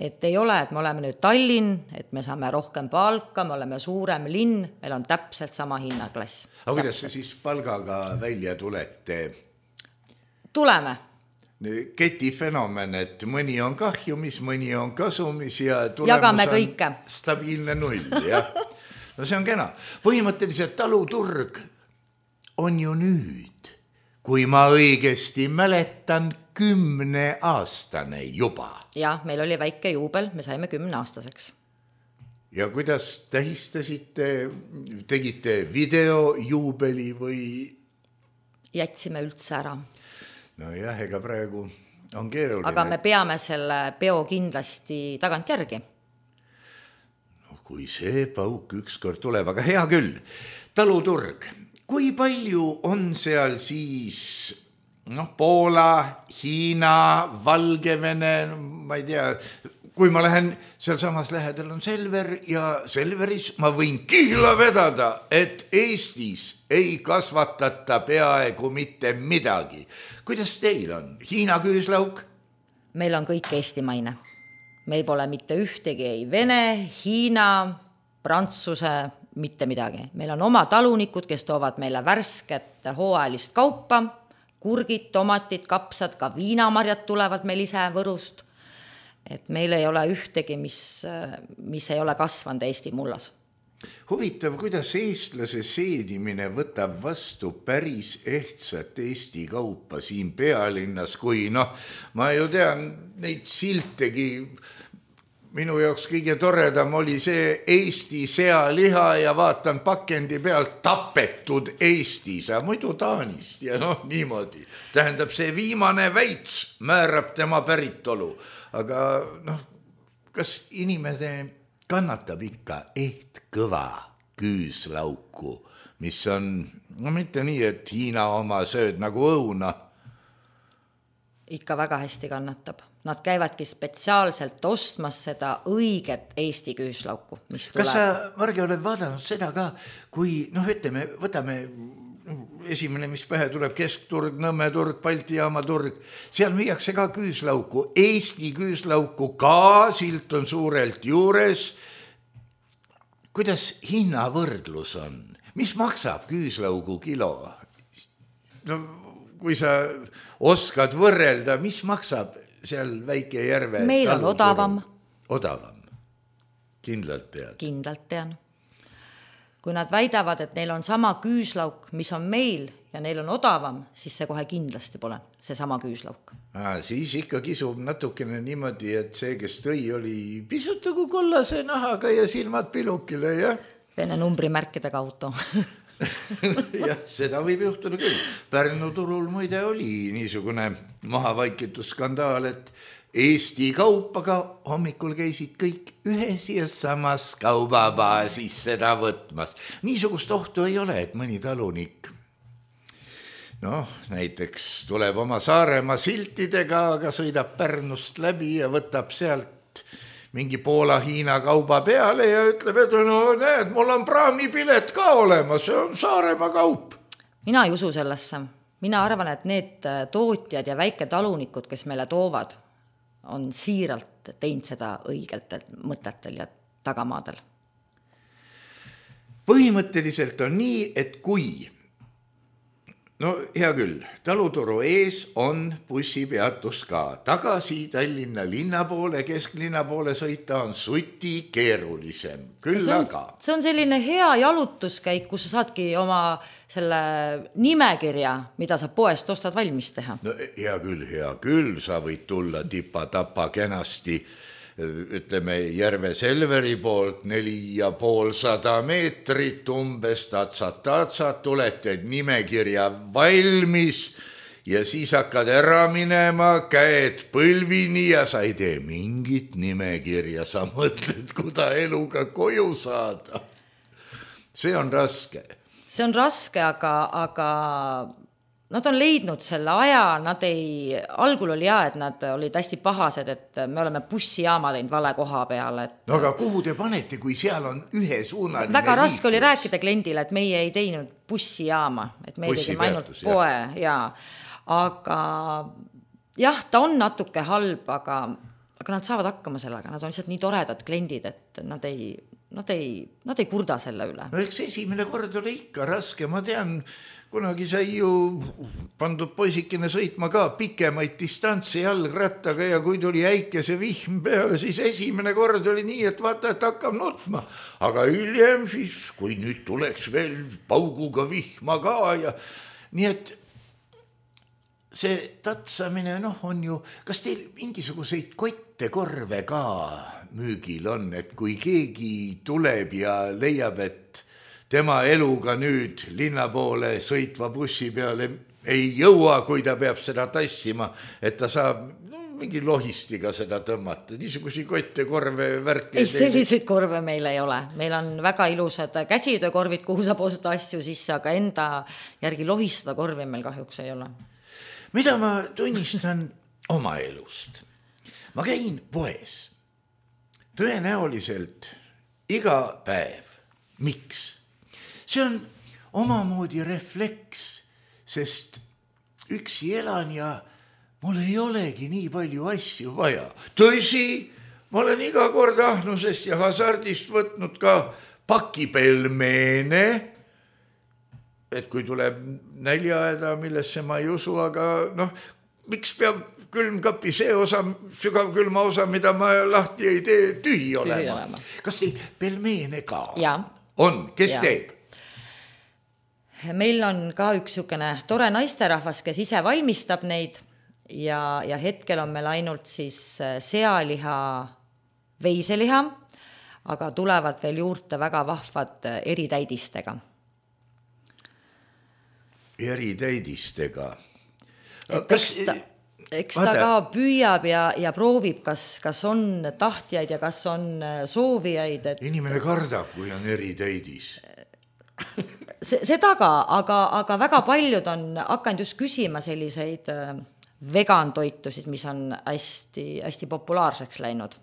Et ei ole, et me oleme nüüd Tallinn, et me saame rohkem palka, me oleme suurem linn, meil on täpselt sama hinnaklass. Aga kuidas see siis palgaga välja tulete? Tuleme. Ketifenomen, et mõni on kahjumis, mõni on kasumis ja tulemus Jagame on kõike. Stabiilne null. Ja. No see on kena. Põhimõtteliselt taluturg on ju nüüd, kui ma õigesti mäletan, kümne aastane juba. Ja, meil oli väike juubel, me saime kümne aastaseks. Ja kuidas tähistasite, tegite videojuubeli või? Jätsime üldse ära. No jah, ega praegu on keeruline. Aga me peame selle peo kindlasti tagant järgi. No kui see pauk ükskord tuleb, aga hea küll. Taluturg, kui palju on seal siis noh, Poola, Hiina, Valgevene, ma ei tea, kui ma lähen, seal samas lähedal on Selver ja Selveris ma võin kihla vedada, et Eestis ei kasvatata peaaegu mitte midagi. Kuidas teil on? Hiina küüslauk? Meil on kõik eestimaine. Meil pole mitte ühtegi, ei Vene, Hiina, Prantsuse, mitte midagi. Meil on oma talunikud, kes toovad meile värsket hooajalist kaupa, kurgid, tomatid, kapsad, ka viinamarjad tulevad meil ise Võrust. Et meil ei ole ühtegi, mis, mis ei ole kasvanud Eesti mullas. Huvitav, kuidas eestlase seedimine võtab vastu päris ehtsat Eesti kaupa siin Pealinnas, kui noh, ma ju tean neid siltegi, minu jaoks kõige toredam oli see Eesti sealiha ja vaatan pakendi pealt tapetud Eestis, aga muidu Taanist ja noh, niimoodi. Tähendab, see viimane väits määrab tema päritolu, aga noh, kas inimene kannatab ikka eht kõva küüslauku, mis on, no mitte nii, et Hiina oma sööd nagu õuna. Ikka väga hästi kannatab. Nad käivadki spetsiaalselt ostmas seda õiget Eesti küüslauku, mis tuleb. Kas sa, Margi, oled vaadanud seda ka, kui, noh, ütleme, võtame esimene, mis pähe tuleb, Keskturg, Nõmmeturg, Balti jaama turg, seal müüakse ka küüslauku, Eesti küüslauku ka, silt on suurelt juures. Kuidas hinnavõrdlus on? Mis maksab küüslaugu kilo? No, kui sa oskad võrrelda, mis maksab seal väike järve? Meil on odavam. Odavam. Kindlalt tead. Kindlalt tean. Kui nad väidavad, et neil on sama küüslauk, mis on meil ja neil on odavam, siis see kohe kindlasti pole, see sama küüslauk. Ah, siis ikka kisub natukene niimoodi, et see, kes tõi, oli pisut nagu kollase nahaga ja silmad pilukile, jah? Vene numbrimärkidega auto. Jah, seda võib juhtuda küll. Pärnu turul muide oli niisugune mahavaikitud skandaal, et Eesti kaupaga hommikul käisid kõik ühes ja samas kaubabaasis seda võtmas. Niisugust ohtu ei ole, et mõni talunik noh, näiteks tuleb oma Saaremaa siltidega, aga sõidab Pärnust läbi ja võtab sealt mingi Poola-Hiina kauba peale ja ütleb, et no näed, mul on praamipilet ka olemas, see on Saaremaa kaup. Mina ei usu sellesse. Mina arvan, et need tootjad ja väiketalunikud, kes meile toovad, on siiralt teinud seda õigelt mõtetel ja tagamaadel. Põhimõtteliselt on nii, et kui no hea küll, taluturu ees on bussipeatus ka. Tagasi Tallinna linna poole, kesklinna poole sõita on suti keerulisem. Küll see on, aga. See on selline hea jalutuskäik, kus sa saadki oma selle nimekirja, mida sa poest ostad valmis teha. No hea küll, hea küll, sa võid tulla tipa-tapa kenasti, ütleme Järve Selveri poolt neli ja poolsada meetrit umbes, tatsat-tatsat, tuleted nimekirja valmis ja siis hakkad ära minema, käed põlvini ja sa ei tee mingit nimekirja, sa mõtled, kuda eluga koju saada. See on raske. See on raske, aga, aga nad on leidnud selle aja, nad ei, algul oli hea, et nad olid hästi pahased, et me oleme bussijaama teinud vale koha peale. Et... No aga kuhu te panete, kui seal on ühesuunaline väga raske liiklus? Oli rääkida kliendile, et meie ei teinud bussijaama, et me ei tegime ainult poe. Ja. Aga jah, ta on natuke halb, aga, aga nad saavad hakkama sellega, nad on lihtsalt nii toredad kliendid, et nad ei, nad ei, nad ei kurda selle üle. No eks esimene kord oli ikka raske, ma tean, kunagi sai ju pandud poisikene sõitma ka pikemaid distantsi jalgrattaga ja kui tuli äikese vihm peale, siis esimene kord oli nii, et vaata, et hakkab nutma. Aga hiljem siis, kui nüüd tuleks veel pauguga vihma ka ja nii et see tatsamine, noh, on ju, kas teil mingisuguseid kotte korve ka müügil on, et kui keegi tuleb ja leiab, et tema eluga nüüd linna poole sõitva bussi peale ei jõua, kui ta peab seda tassima, et ta saab no, mingi lohistiga seda tõmmata. Niisugusi kotte, korve, värke. Ei, selliseid korve meil ei ole. Meil on väga ilusad käsitöökorvid, kuhu saab ostada asju sisse, aga enda järgi lohistada korvi meil kahjuks ei ole. Mida ma tunnistan oma elust? Ma käin poes. Tõenäoliselt iga päev. Miks? See on omamoodi refleks, sest üksi elan ja mul ei olegi nii palju asju vaja. Tõsi, ma olen iga kord ahnusest ja hasardist võtnud ka pakipelmeene, et kui tuleb näljaeda, millesse ma ei usu, aga noh, miks peab külmkapi see osa, sügav külma osa, mida ma lahti ei tee, tühi olema. olema. Kas teil pelmeene ka ja. On? Kes ja. Teeb? Meil on ka üks niisugune tore naisterahvas, kes ise valmistab neid ja, ja hetkel on meil ainult siis sealiha, veiseliha, aga tulevad veel juurde väga vahvad eritäidistega. Eritäidistega? Kas... Eks ta, eks ta ka püüab ja, ja proovib, kas, kas on tahtjaid ja kas on soovijaid. Et... Inimene kardab, kui on eritäidis. Seda ka, aga, aga väga paljud on hakanud just küsima selliseid vegantoitusid, mis on hästi, hästi populaarseks läinud.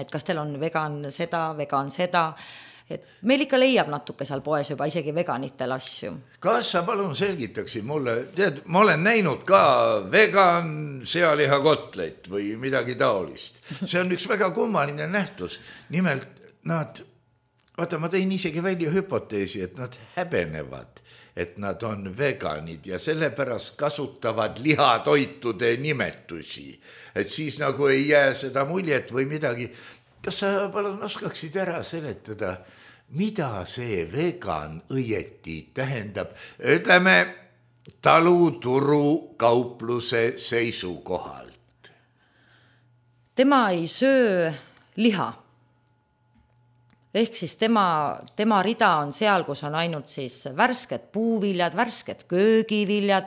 Et kas teil on vegan seda, vegan seda, et meil ikka leiab natuke seal poes juba isegi veganitel asju. Kas sa palun selgitaksid mulle, tead, ma olen näinud ka vegan sealiha kotlet või midagi taolist. See on üks väga kummaline nähtus. Nimelt nad... Vaata, ma tein isegi välja hüpoteesi, et nad häbenevad, et nad on veganid ja sellepärast kasutavad lihatoitude nimetusi. Et siis nagu ei jää seda muljet või midagi. Kas sa palun oskaksid ära seletada, mida see vegan õieti tähendab? Ütleme, taluturu kaupluse seisukohalt. Tema ei söö liha. Ehk siis tema, tema rida on seal, kus on ainult siis värsked puuviljad, värsked köögiviljad,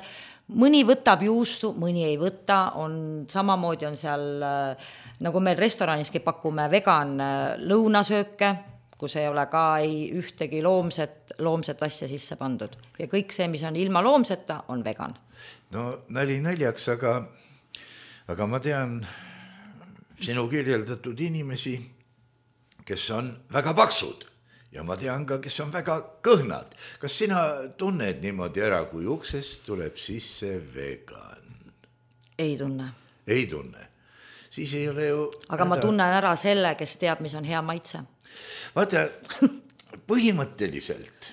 mõni võtab juustu, mõni ei võta, on samamoodi on seal, nagu meil restoraniski pakume vegan lõunasööke, kus ei ole ka ei ühtegi loomset, loomset asja sisse pandud. Ja kõik see, mis on ilma loomseta, on vegan. No nali naljaks, aga, aga ma tean sinu kirjeldatud inimesi, kes on väga paksud ja ma tean ka, kes on väga kõhnad. Kas sina tunned niimoodi ära, kui uksest tuleb sisse vegan? Ei tunne. Ei tunne. Siis ei ole ju... Aga häda... ma tunnen ära selle, kes teab, mis on hea maitse. Vaata, põhimõtteliselt,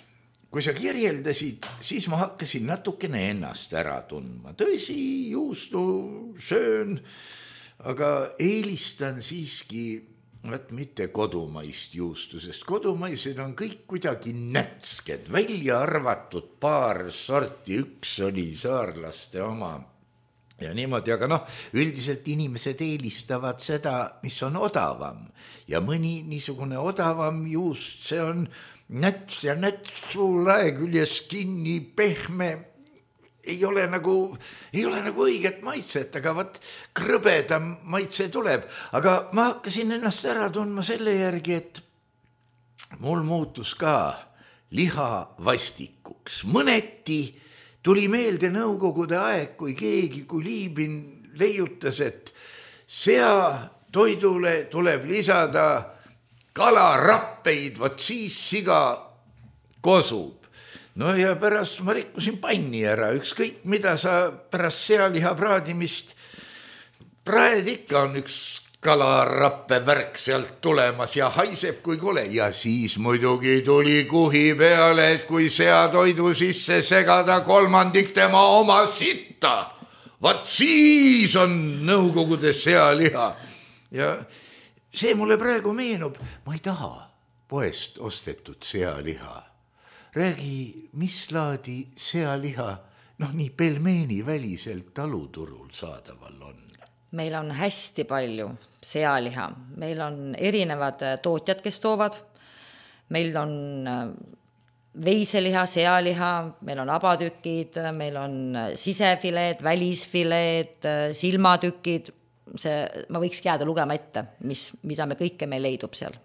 kui sa kirjeldasid, siis ma hakkasin natukene ennast ära tundma. Tõsi, juustu söön, aga eelistan siiski võt mitte kodumaist juustu, sest kodumaised on kõik kuidagi nätsked, välja arvatud paar sorti, üks oli saarlaste oma ja niimoodi, aga noh, üldiselt inimesed eelistavad seda, mis on odavam ja mõni niisugune odavam juust, see on näts ja näts suu lae küljes kinni, pehme, ei ole nagu, ei ole nagu õiget maitset, aga võt krõbedam maitse tuleb. Aga ma hakkasin ennast ära tundma selle järgi, et mul muutus ka liha vastikuks. Mõneti tuli meelde nõukogude aeg, kui keegi, kui Liibin leiutas, et sea toidule tuleb lisada kalarappeid, vot siis siga kosub. No ja pärast ma rikkusin panni ära, ükskõik mida sa pärast sealiha praadimist praed ikka on üks kalarappe värk sealt tulemas ja haiseb kui kole. Ja siis muidugi tuli kuhi peale, et kui seatoidu sisse segada kolmandik tema oma sitta, vaat siis on nõukogude sealiha. Ja see mulle praegu meenub, ma ei taha poest ostetud sealiha. Räägi, mis laadi sealiha, noh nii pelmeeni väliselt taluturul saadaval on? Meil on hästi palju sealiha. Meil on erinevad tootjad, kes toovad. Meil on veiseliha, sealiha, meil on abatükid, meil on sisefileed, välisfileed, silmatükid. See, ma võiks jääda lugema ette, mis, mida me kõike meil leidub seal.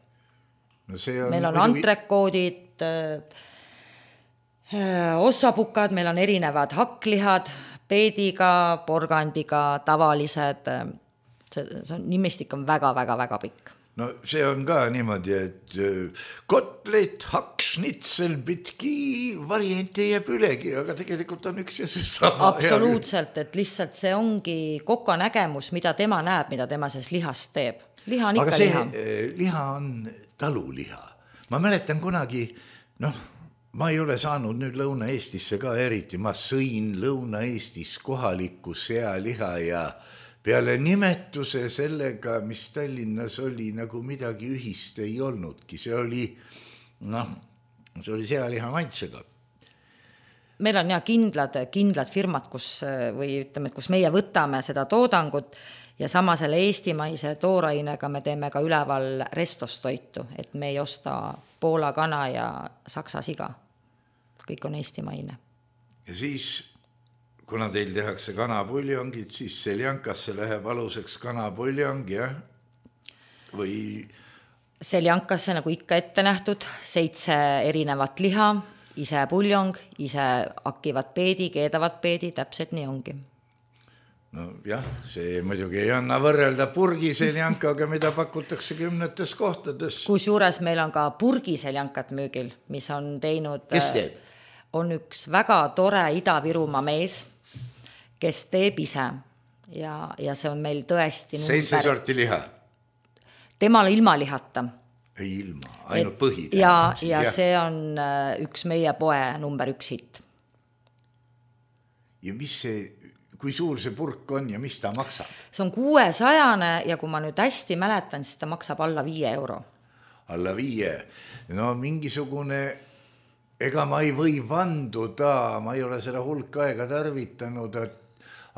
No see on meil on muidugi... antrekoodid, ossapukad, meil on erinevad hakklihad, peediga, porgandiga, tavalised, see, see on, nimestik on väga-väga-väga pikk. No see on ka niimoodi, et kotlet, hakksnitsel, pitki, variante jääb ülegi, aga tegelikult on üks ja see sama. Absoluutselt, et lihtsalt see ongi koka nägemus, mida tema näeb, mida tema selles lihast teeb. Liha on ikka aga see liha. liha on taluliha. Ma mäletan kunagi, noh, ma ei ole saanud nüüd Lõuna-Eestisse ka eriti, ma sõin Lõuna-Eestis kohalikku sealiha ja peale nimetuse sellega, mis Tallinnas oli, nagu midagi ühist ei olnudki. See oli, noh, see oli sealiha maitsega. Meil on ja kindlad, kindlad firmad, kus, või ütleme, kus meie võtame seda toodangut ja sama selle eestimaise toorainega me teeme ka üleval restostoitu, et me ei osta Poola kana ja Saksa siga. Kõik on eestimaine. Ja siis, kuna teil tehakse kanapuljongid, siis seljankasse läheb aluseks kanapuljong, jah? Või... Seljankasse, nagu ikka ette nähtud, seitse erinevat liha, ise puljong, ise hakivad peedi, keedavad peedi, täpselt nii ongi. No jah, see muidugi ei anna võrrelda purgiseljankaga, mida pakutakse kümnetes kohtades. Kus juures meil on ka purgiseljankat müügil, mis on teinud... Kes teeb? On üks väga tore Ida-Virumaa mees, kes teeb ise ja, ja see on meil tõesti seitse sorti liha? Temal ilma lihata. Ei ilma, ainult põhi. Ja, siis, ja see on üks meie poe number üks hitt. Ja mis see, kui suur see purk on ja mis ta maksab? See on kuuesajane ja kui ma nüüd hästi mäletan, siis ta maksab alla viie euro. Alla viie? No mingisugune... Ega ma ei või vanduda, ma ei ole seda hulk aega tarvitanud,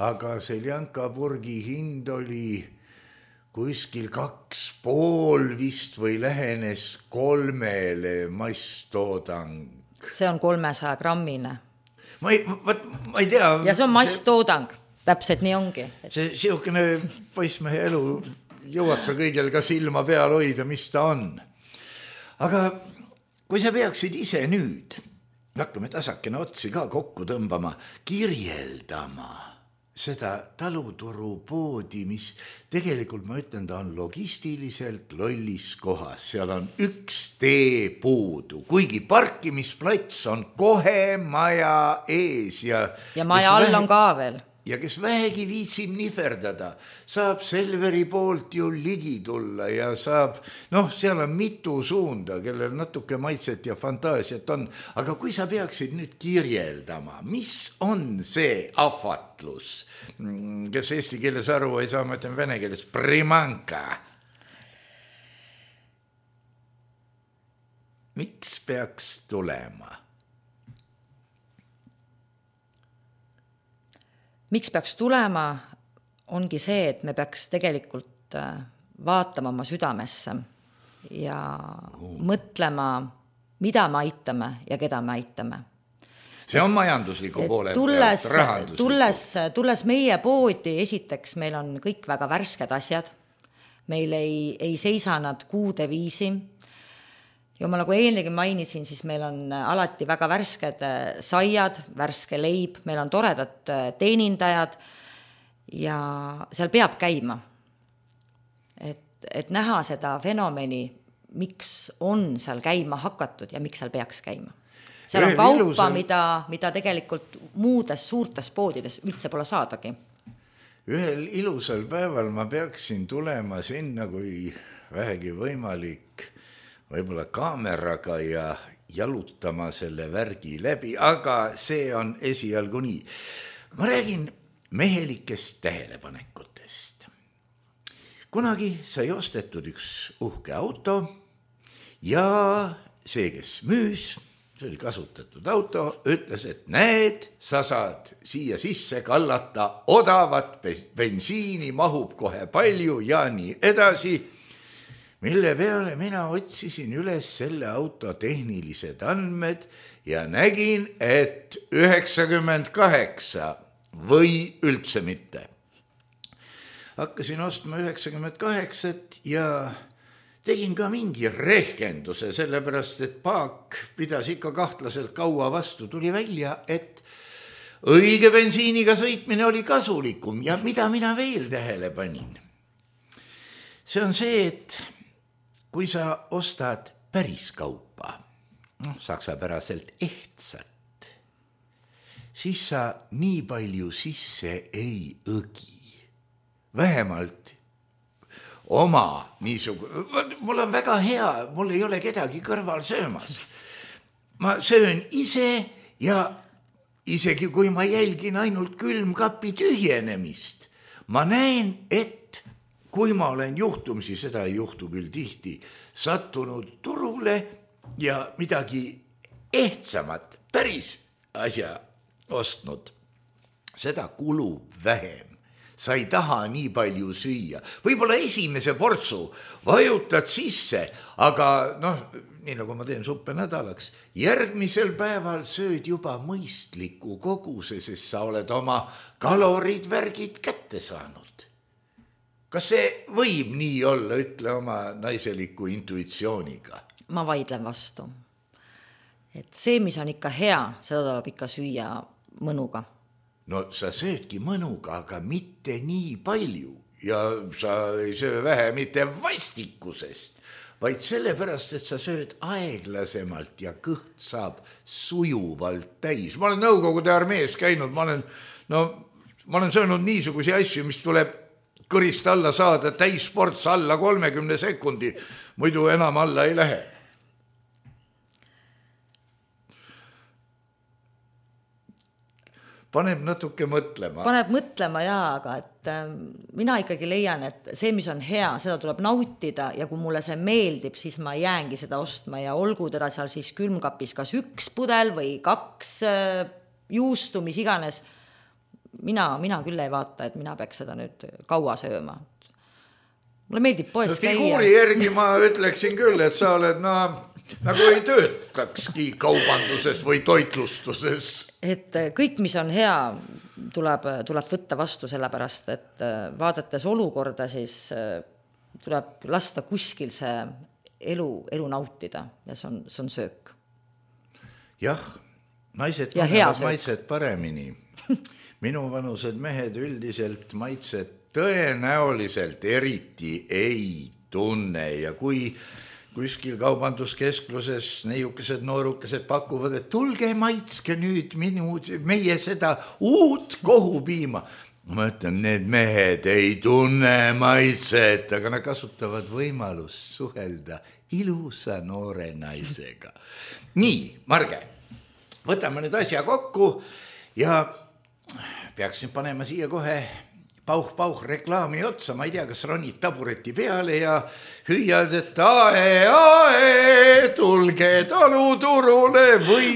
aga seljankapurgi hind oli kuskil kaks pool vist või lähenes kolmele masstoodang. See on kolmesaja grammine. Ma ei, võt, ma ei tea. Ja see on masstoodang, täpselt nii ongi. See siukene poissmehe elu jõuab sa kõigel ka silma peal hoida, mis ta on. aga kui sa peaksid ise nüüd, hakkame tasakene otsi ka kokku tõmbama, kirjeldama seda taluturupoodi, mis tegelikult ma ütlen, ta on logistiliselt lollis kohas, seal on üks tee puudu, kuigi parkimisplats on kohe maja ees ja ja maja all vähe... on ka veel. Ja kes vähegi viitsib nihverdada, saab Selveri poolt ju ligi tulla ja saab, noh, seal on mitu suunda, kellel natuke maitset ja fantaasiat on, aga kui sa peaksid nüüd kirjeldama, mis on see ahvatlus, kes eesti keeles aru ei saa, ma ütlen vene keeles primanka. Miks peaks tulema? Miks peaks tulema, ongi see, et me peaks tegelikult vaatama oma südamesse ja oh. mõtlema, mida me aitame ja keda me aitame. See on majandusliku poole tulles, pealt, tulles, tulles meie poodi, esiteks meil on kõik väga värsked asjad, meil ei, ei seisa nad kuude viisi. Ja ma nagu eelnegi mainisin, siis meil on alati väga värsked saiad, värske leib, meil on toredad teenindajad ja seal peab käima. Et, et näha seda fenomeni, miks on seal käima hakatud ja miks seal peaks käima. Seal on kaupa, ilusal... mida, mida tegelikult muudes suurtes poodides üldse pole saadagi. Ühel ilusal päeval ma peaksin tulema sinna, kui vähegi võimalik võib-olla kaameraga ja jalutama selle värgi läbi, aga see on esialgu nii. Ma räägin mehelikest tähelepanekutest. Kunagi sai ostetud üks uhke auto ja see, kes müüs, see oli kasutatud auto, ütles, et näed, sa saad siia sisse kallata odavat bensiini, mahub kohe palju ja nii edasi. Mille peale mina otsisin üles selle auto tehnilised andmed ja nägin, et üheksakümmend kaheksa või üldse mitte. Hakkasin ostma üheksakümmend kaheksat ja tegin ka mingi rehkenduse, sellepärast, et paak pidas ikka kahtlaselt kaua vastu. Tuli välja, et õige bensiiniga sõitmine oli kasulikum ja mida mina veel tähele panin. See on see, et kui sa ostad päris kaupa, no, saksapäraselt ehtsat, siis sa nii palju sisse ei õgi. Vähemalt oma niisugune, mul on väga hea, mul ei ole kedagi kõrval söömas. Ma söön ise ja isegi kui ma jälgin ainult külmkapi tühjenemist, ma näen, et kui ma olen juhtumisi, seda ei juhtu küll tihti, sattunud turule ja midagi ehtsamat, päris asja ostnud, seda kulub vähem. Sa ei taha nii palju süüa. Võib-olla esimese portsu vajutad sisse, aga noh, nii nagu ma teen suppe nädalaks, järgmisel päeval sööd juba mõistliku koguse, sest sa oled oma kalorid, värgid kätte saanud. Kas see võib nii olla, ütle oma naiseliku intuitsiooniga? Ma vaidlen vastu. Et see, mis on ikka hea, seda tuleb ikka süüa mõnuga. No sa söödki mõnuga, aga mitte nii palju. Ja sa ei söö vähe mitte vastikusest, vaid sellepärast, et sa sööd aeglasemalt ja kõht saab sujuvalt täis. Ma olen Nõukogude armees käinud, ma olen, no, ma olen söönud niisugusi asju, mis tuleb kõrist alla saada, täisports alla kolmekümne sekundi, muidu enam alla ei lähe. Paneb natuke mõtlema. Paneb mõtlema, jaa, aga et äh, mina ikkagi leian, et see, mis on hea, seda tuleb nautida ja kui mulle see meeldib, siis ma jäängi seda ostma ja olgu teda seal siis külmkapis kas üks pudel või kaks äh, juustu, mis iganes. Mina, mina küll ei vaata, et mina peaks seda nüüd kaua sööma. Mulle meeldib poes no, käia. Figuuri järgi ma ütleksin küll, et sa oled no, nagu ei töötakski kaubanduses või toitlustuses. Et kõik, mis on hea, tuleb, tuleb võtta vastu sellepärast, et vaadates olukorda, siis tuleb lasta kuskil see elu, elu nautida ja see on, see on söök. Jah, naised ja panevad maitsed paremini. Minu vanused mehed üldiselt maitsed tõenäoliselt eriti ei tunne ja kui kuskil kaubanduskeskluses neiukesed noorukesed pakuvad, et tulge maitske nüüd minu, meie seda uut kohupiima. Ma ütlen, need mehed ei tunne maitset, aga nad kasutavad võimalust suhelda ilusa noore naisega. Nii, Marge, võtame nüüd asja kokku ja peaksin panema siia kohe pauh-pauh reklaami otsa, ma ei tea, kas ronid tabureti peale ja hüüad, et ae, ae, tulge taluturule või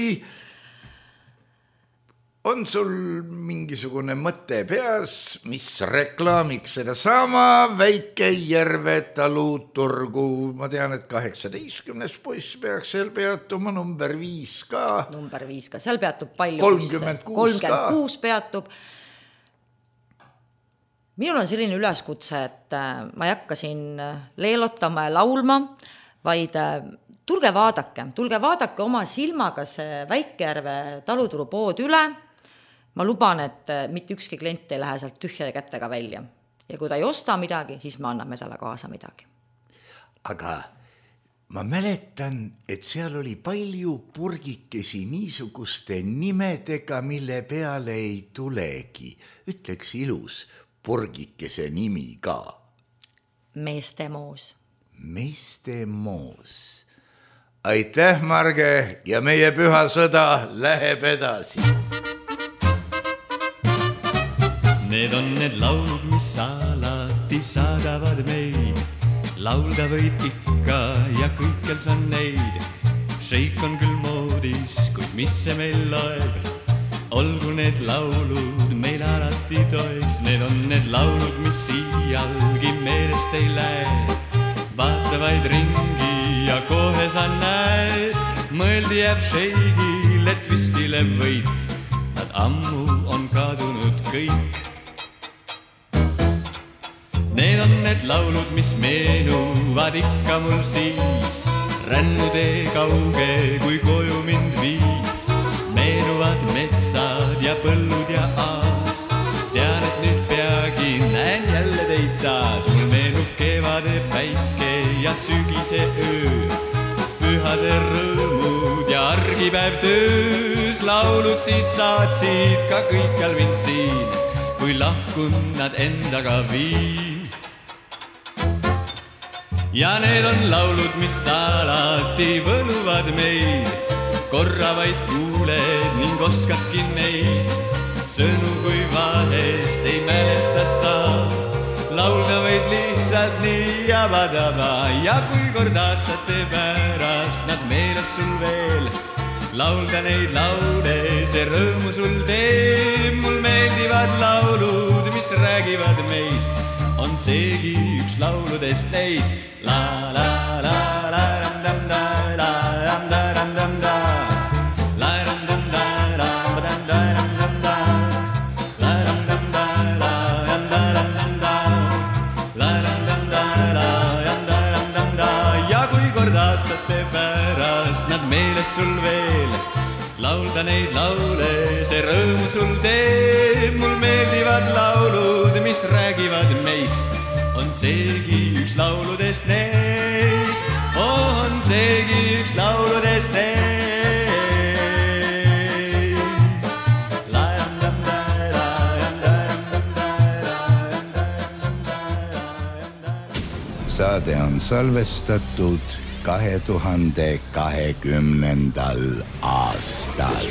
on sul mingisugune mõte peas, mis reklaamiks seda sama väike Järve taluturgu. Ma tean, et kaheksateistkümnes poiss peaks seal peatuma, number viis ka. Number viis ka, seal peatub palju. kolmkümmend kuus ka. kolmkümmend kuus peatub. Minul on selline üleskutse, et ma ei hakka siin leelotama ja laulma, vaid tulge vaadake, tulge vaadake oma silmaga see Väike-Järve taluturu pood üle. Ma luban, et mitte ükski klient ei lähe sealt tühjade kättega välja. Ja kui ta ei osta midagi, siis me anname talle kaasa midagi. Aga ma mäletan, et seal oli palju purgikesi niisuguste nimedega, mille peale ei tulegi. Ütleks ilus purgikese nimi ka. Meestemoos. Meestemoos. Aitäh, Marge, ja meie püha sõda läheb edasi. Need on need laulud, mis alati saadavad meid. Laulda võid ikka ja kõikjal sa neid. Šeik on küll moodis, kuid mis see meil loeb? Olgu need laulud meil alati toeks. Need on need laulud, mis iialgi meelest ei lähe. Vaata vaid ringi ja kohe sa näed. Mõeldi jääb Šeigil, et vistile võit. Nad ammu on kadunud kõik. Need on need laulud, mis meenuvad ikka mul siis. Rännutee kauge, kui koju mind viib. Meenuvad metsad ja põllud ja aas. Tean, et nüüd peagi näen jälle teid taas. Mul meenub kevade päike ja sügise öö. Pühade rõõmud ja argipäev töös. Laulud siis saatsid ka kõikjal mind siin, kui lahkun nad endaga viin. Ja need on laulud, mis alati võluvad meid. Korra vaid kuuled ning oskadki neid. Sõnu kui vahest ei mäleta saa. Laulda võid lihtsalt nii ja vadaba. Ja kui kord aastate pärast nad meeles sul veel. Laulda neid laude, see rõõmu sul teeb. Mul meeldivad laulud, mis räägivad meist. On seegi üks lauludest neist. La la la la ram dam da la ram da ram dam da la ram dam da la dam da ram dam da la ram dam da la ram da ram dam da la ram dam da la ram da ram dam da. Ja kui kord aastate pärast nad meeles sul veel. Laulda neid laule, see rõõmu sul teeb. Mul meeldivad laulud, mis räägivad meist. On seegi üks lauludest neist. On seegi üks lauludest neist. Saade on salvestatud kahe tuhande kahekümnendal aastal.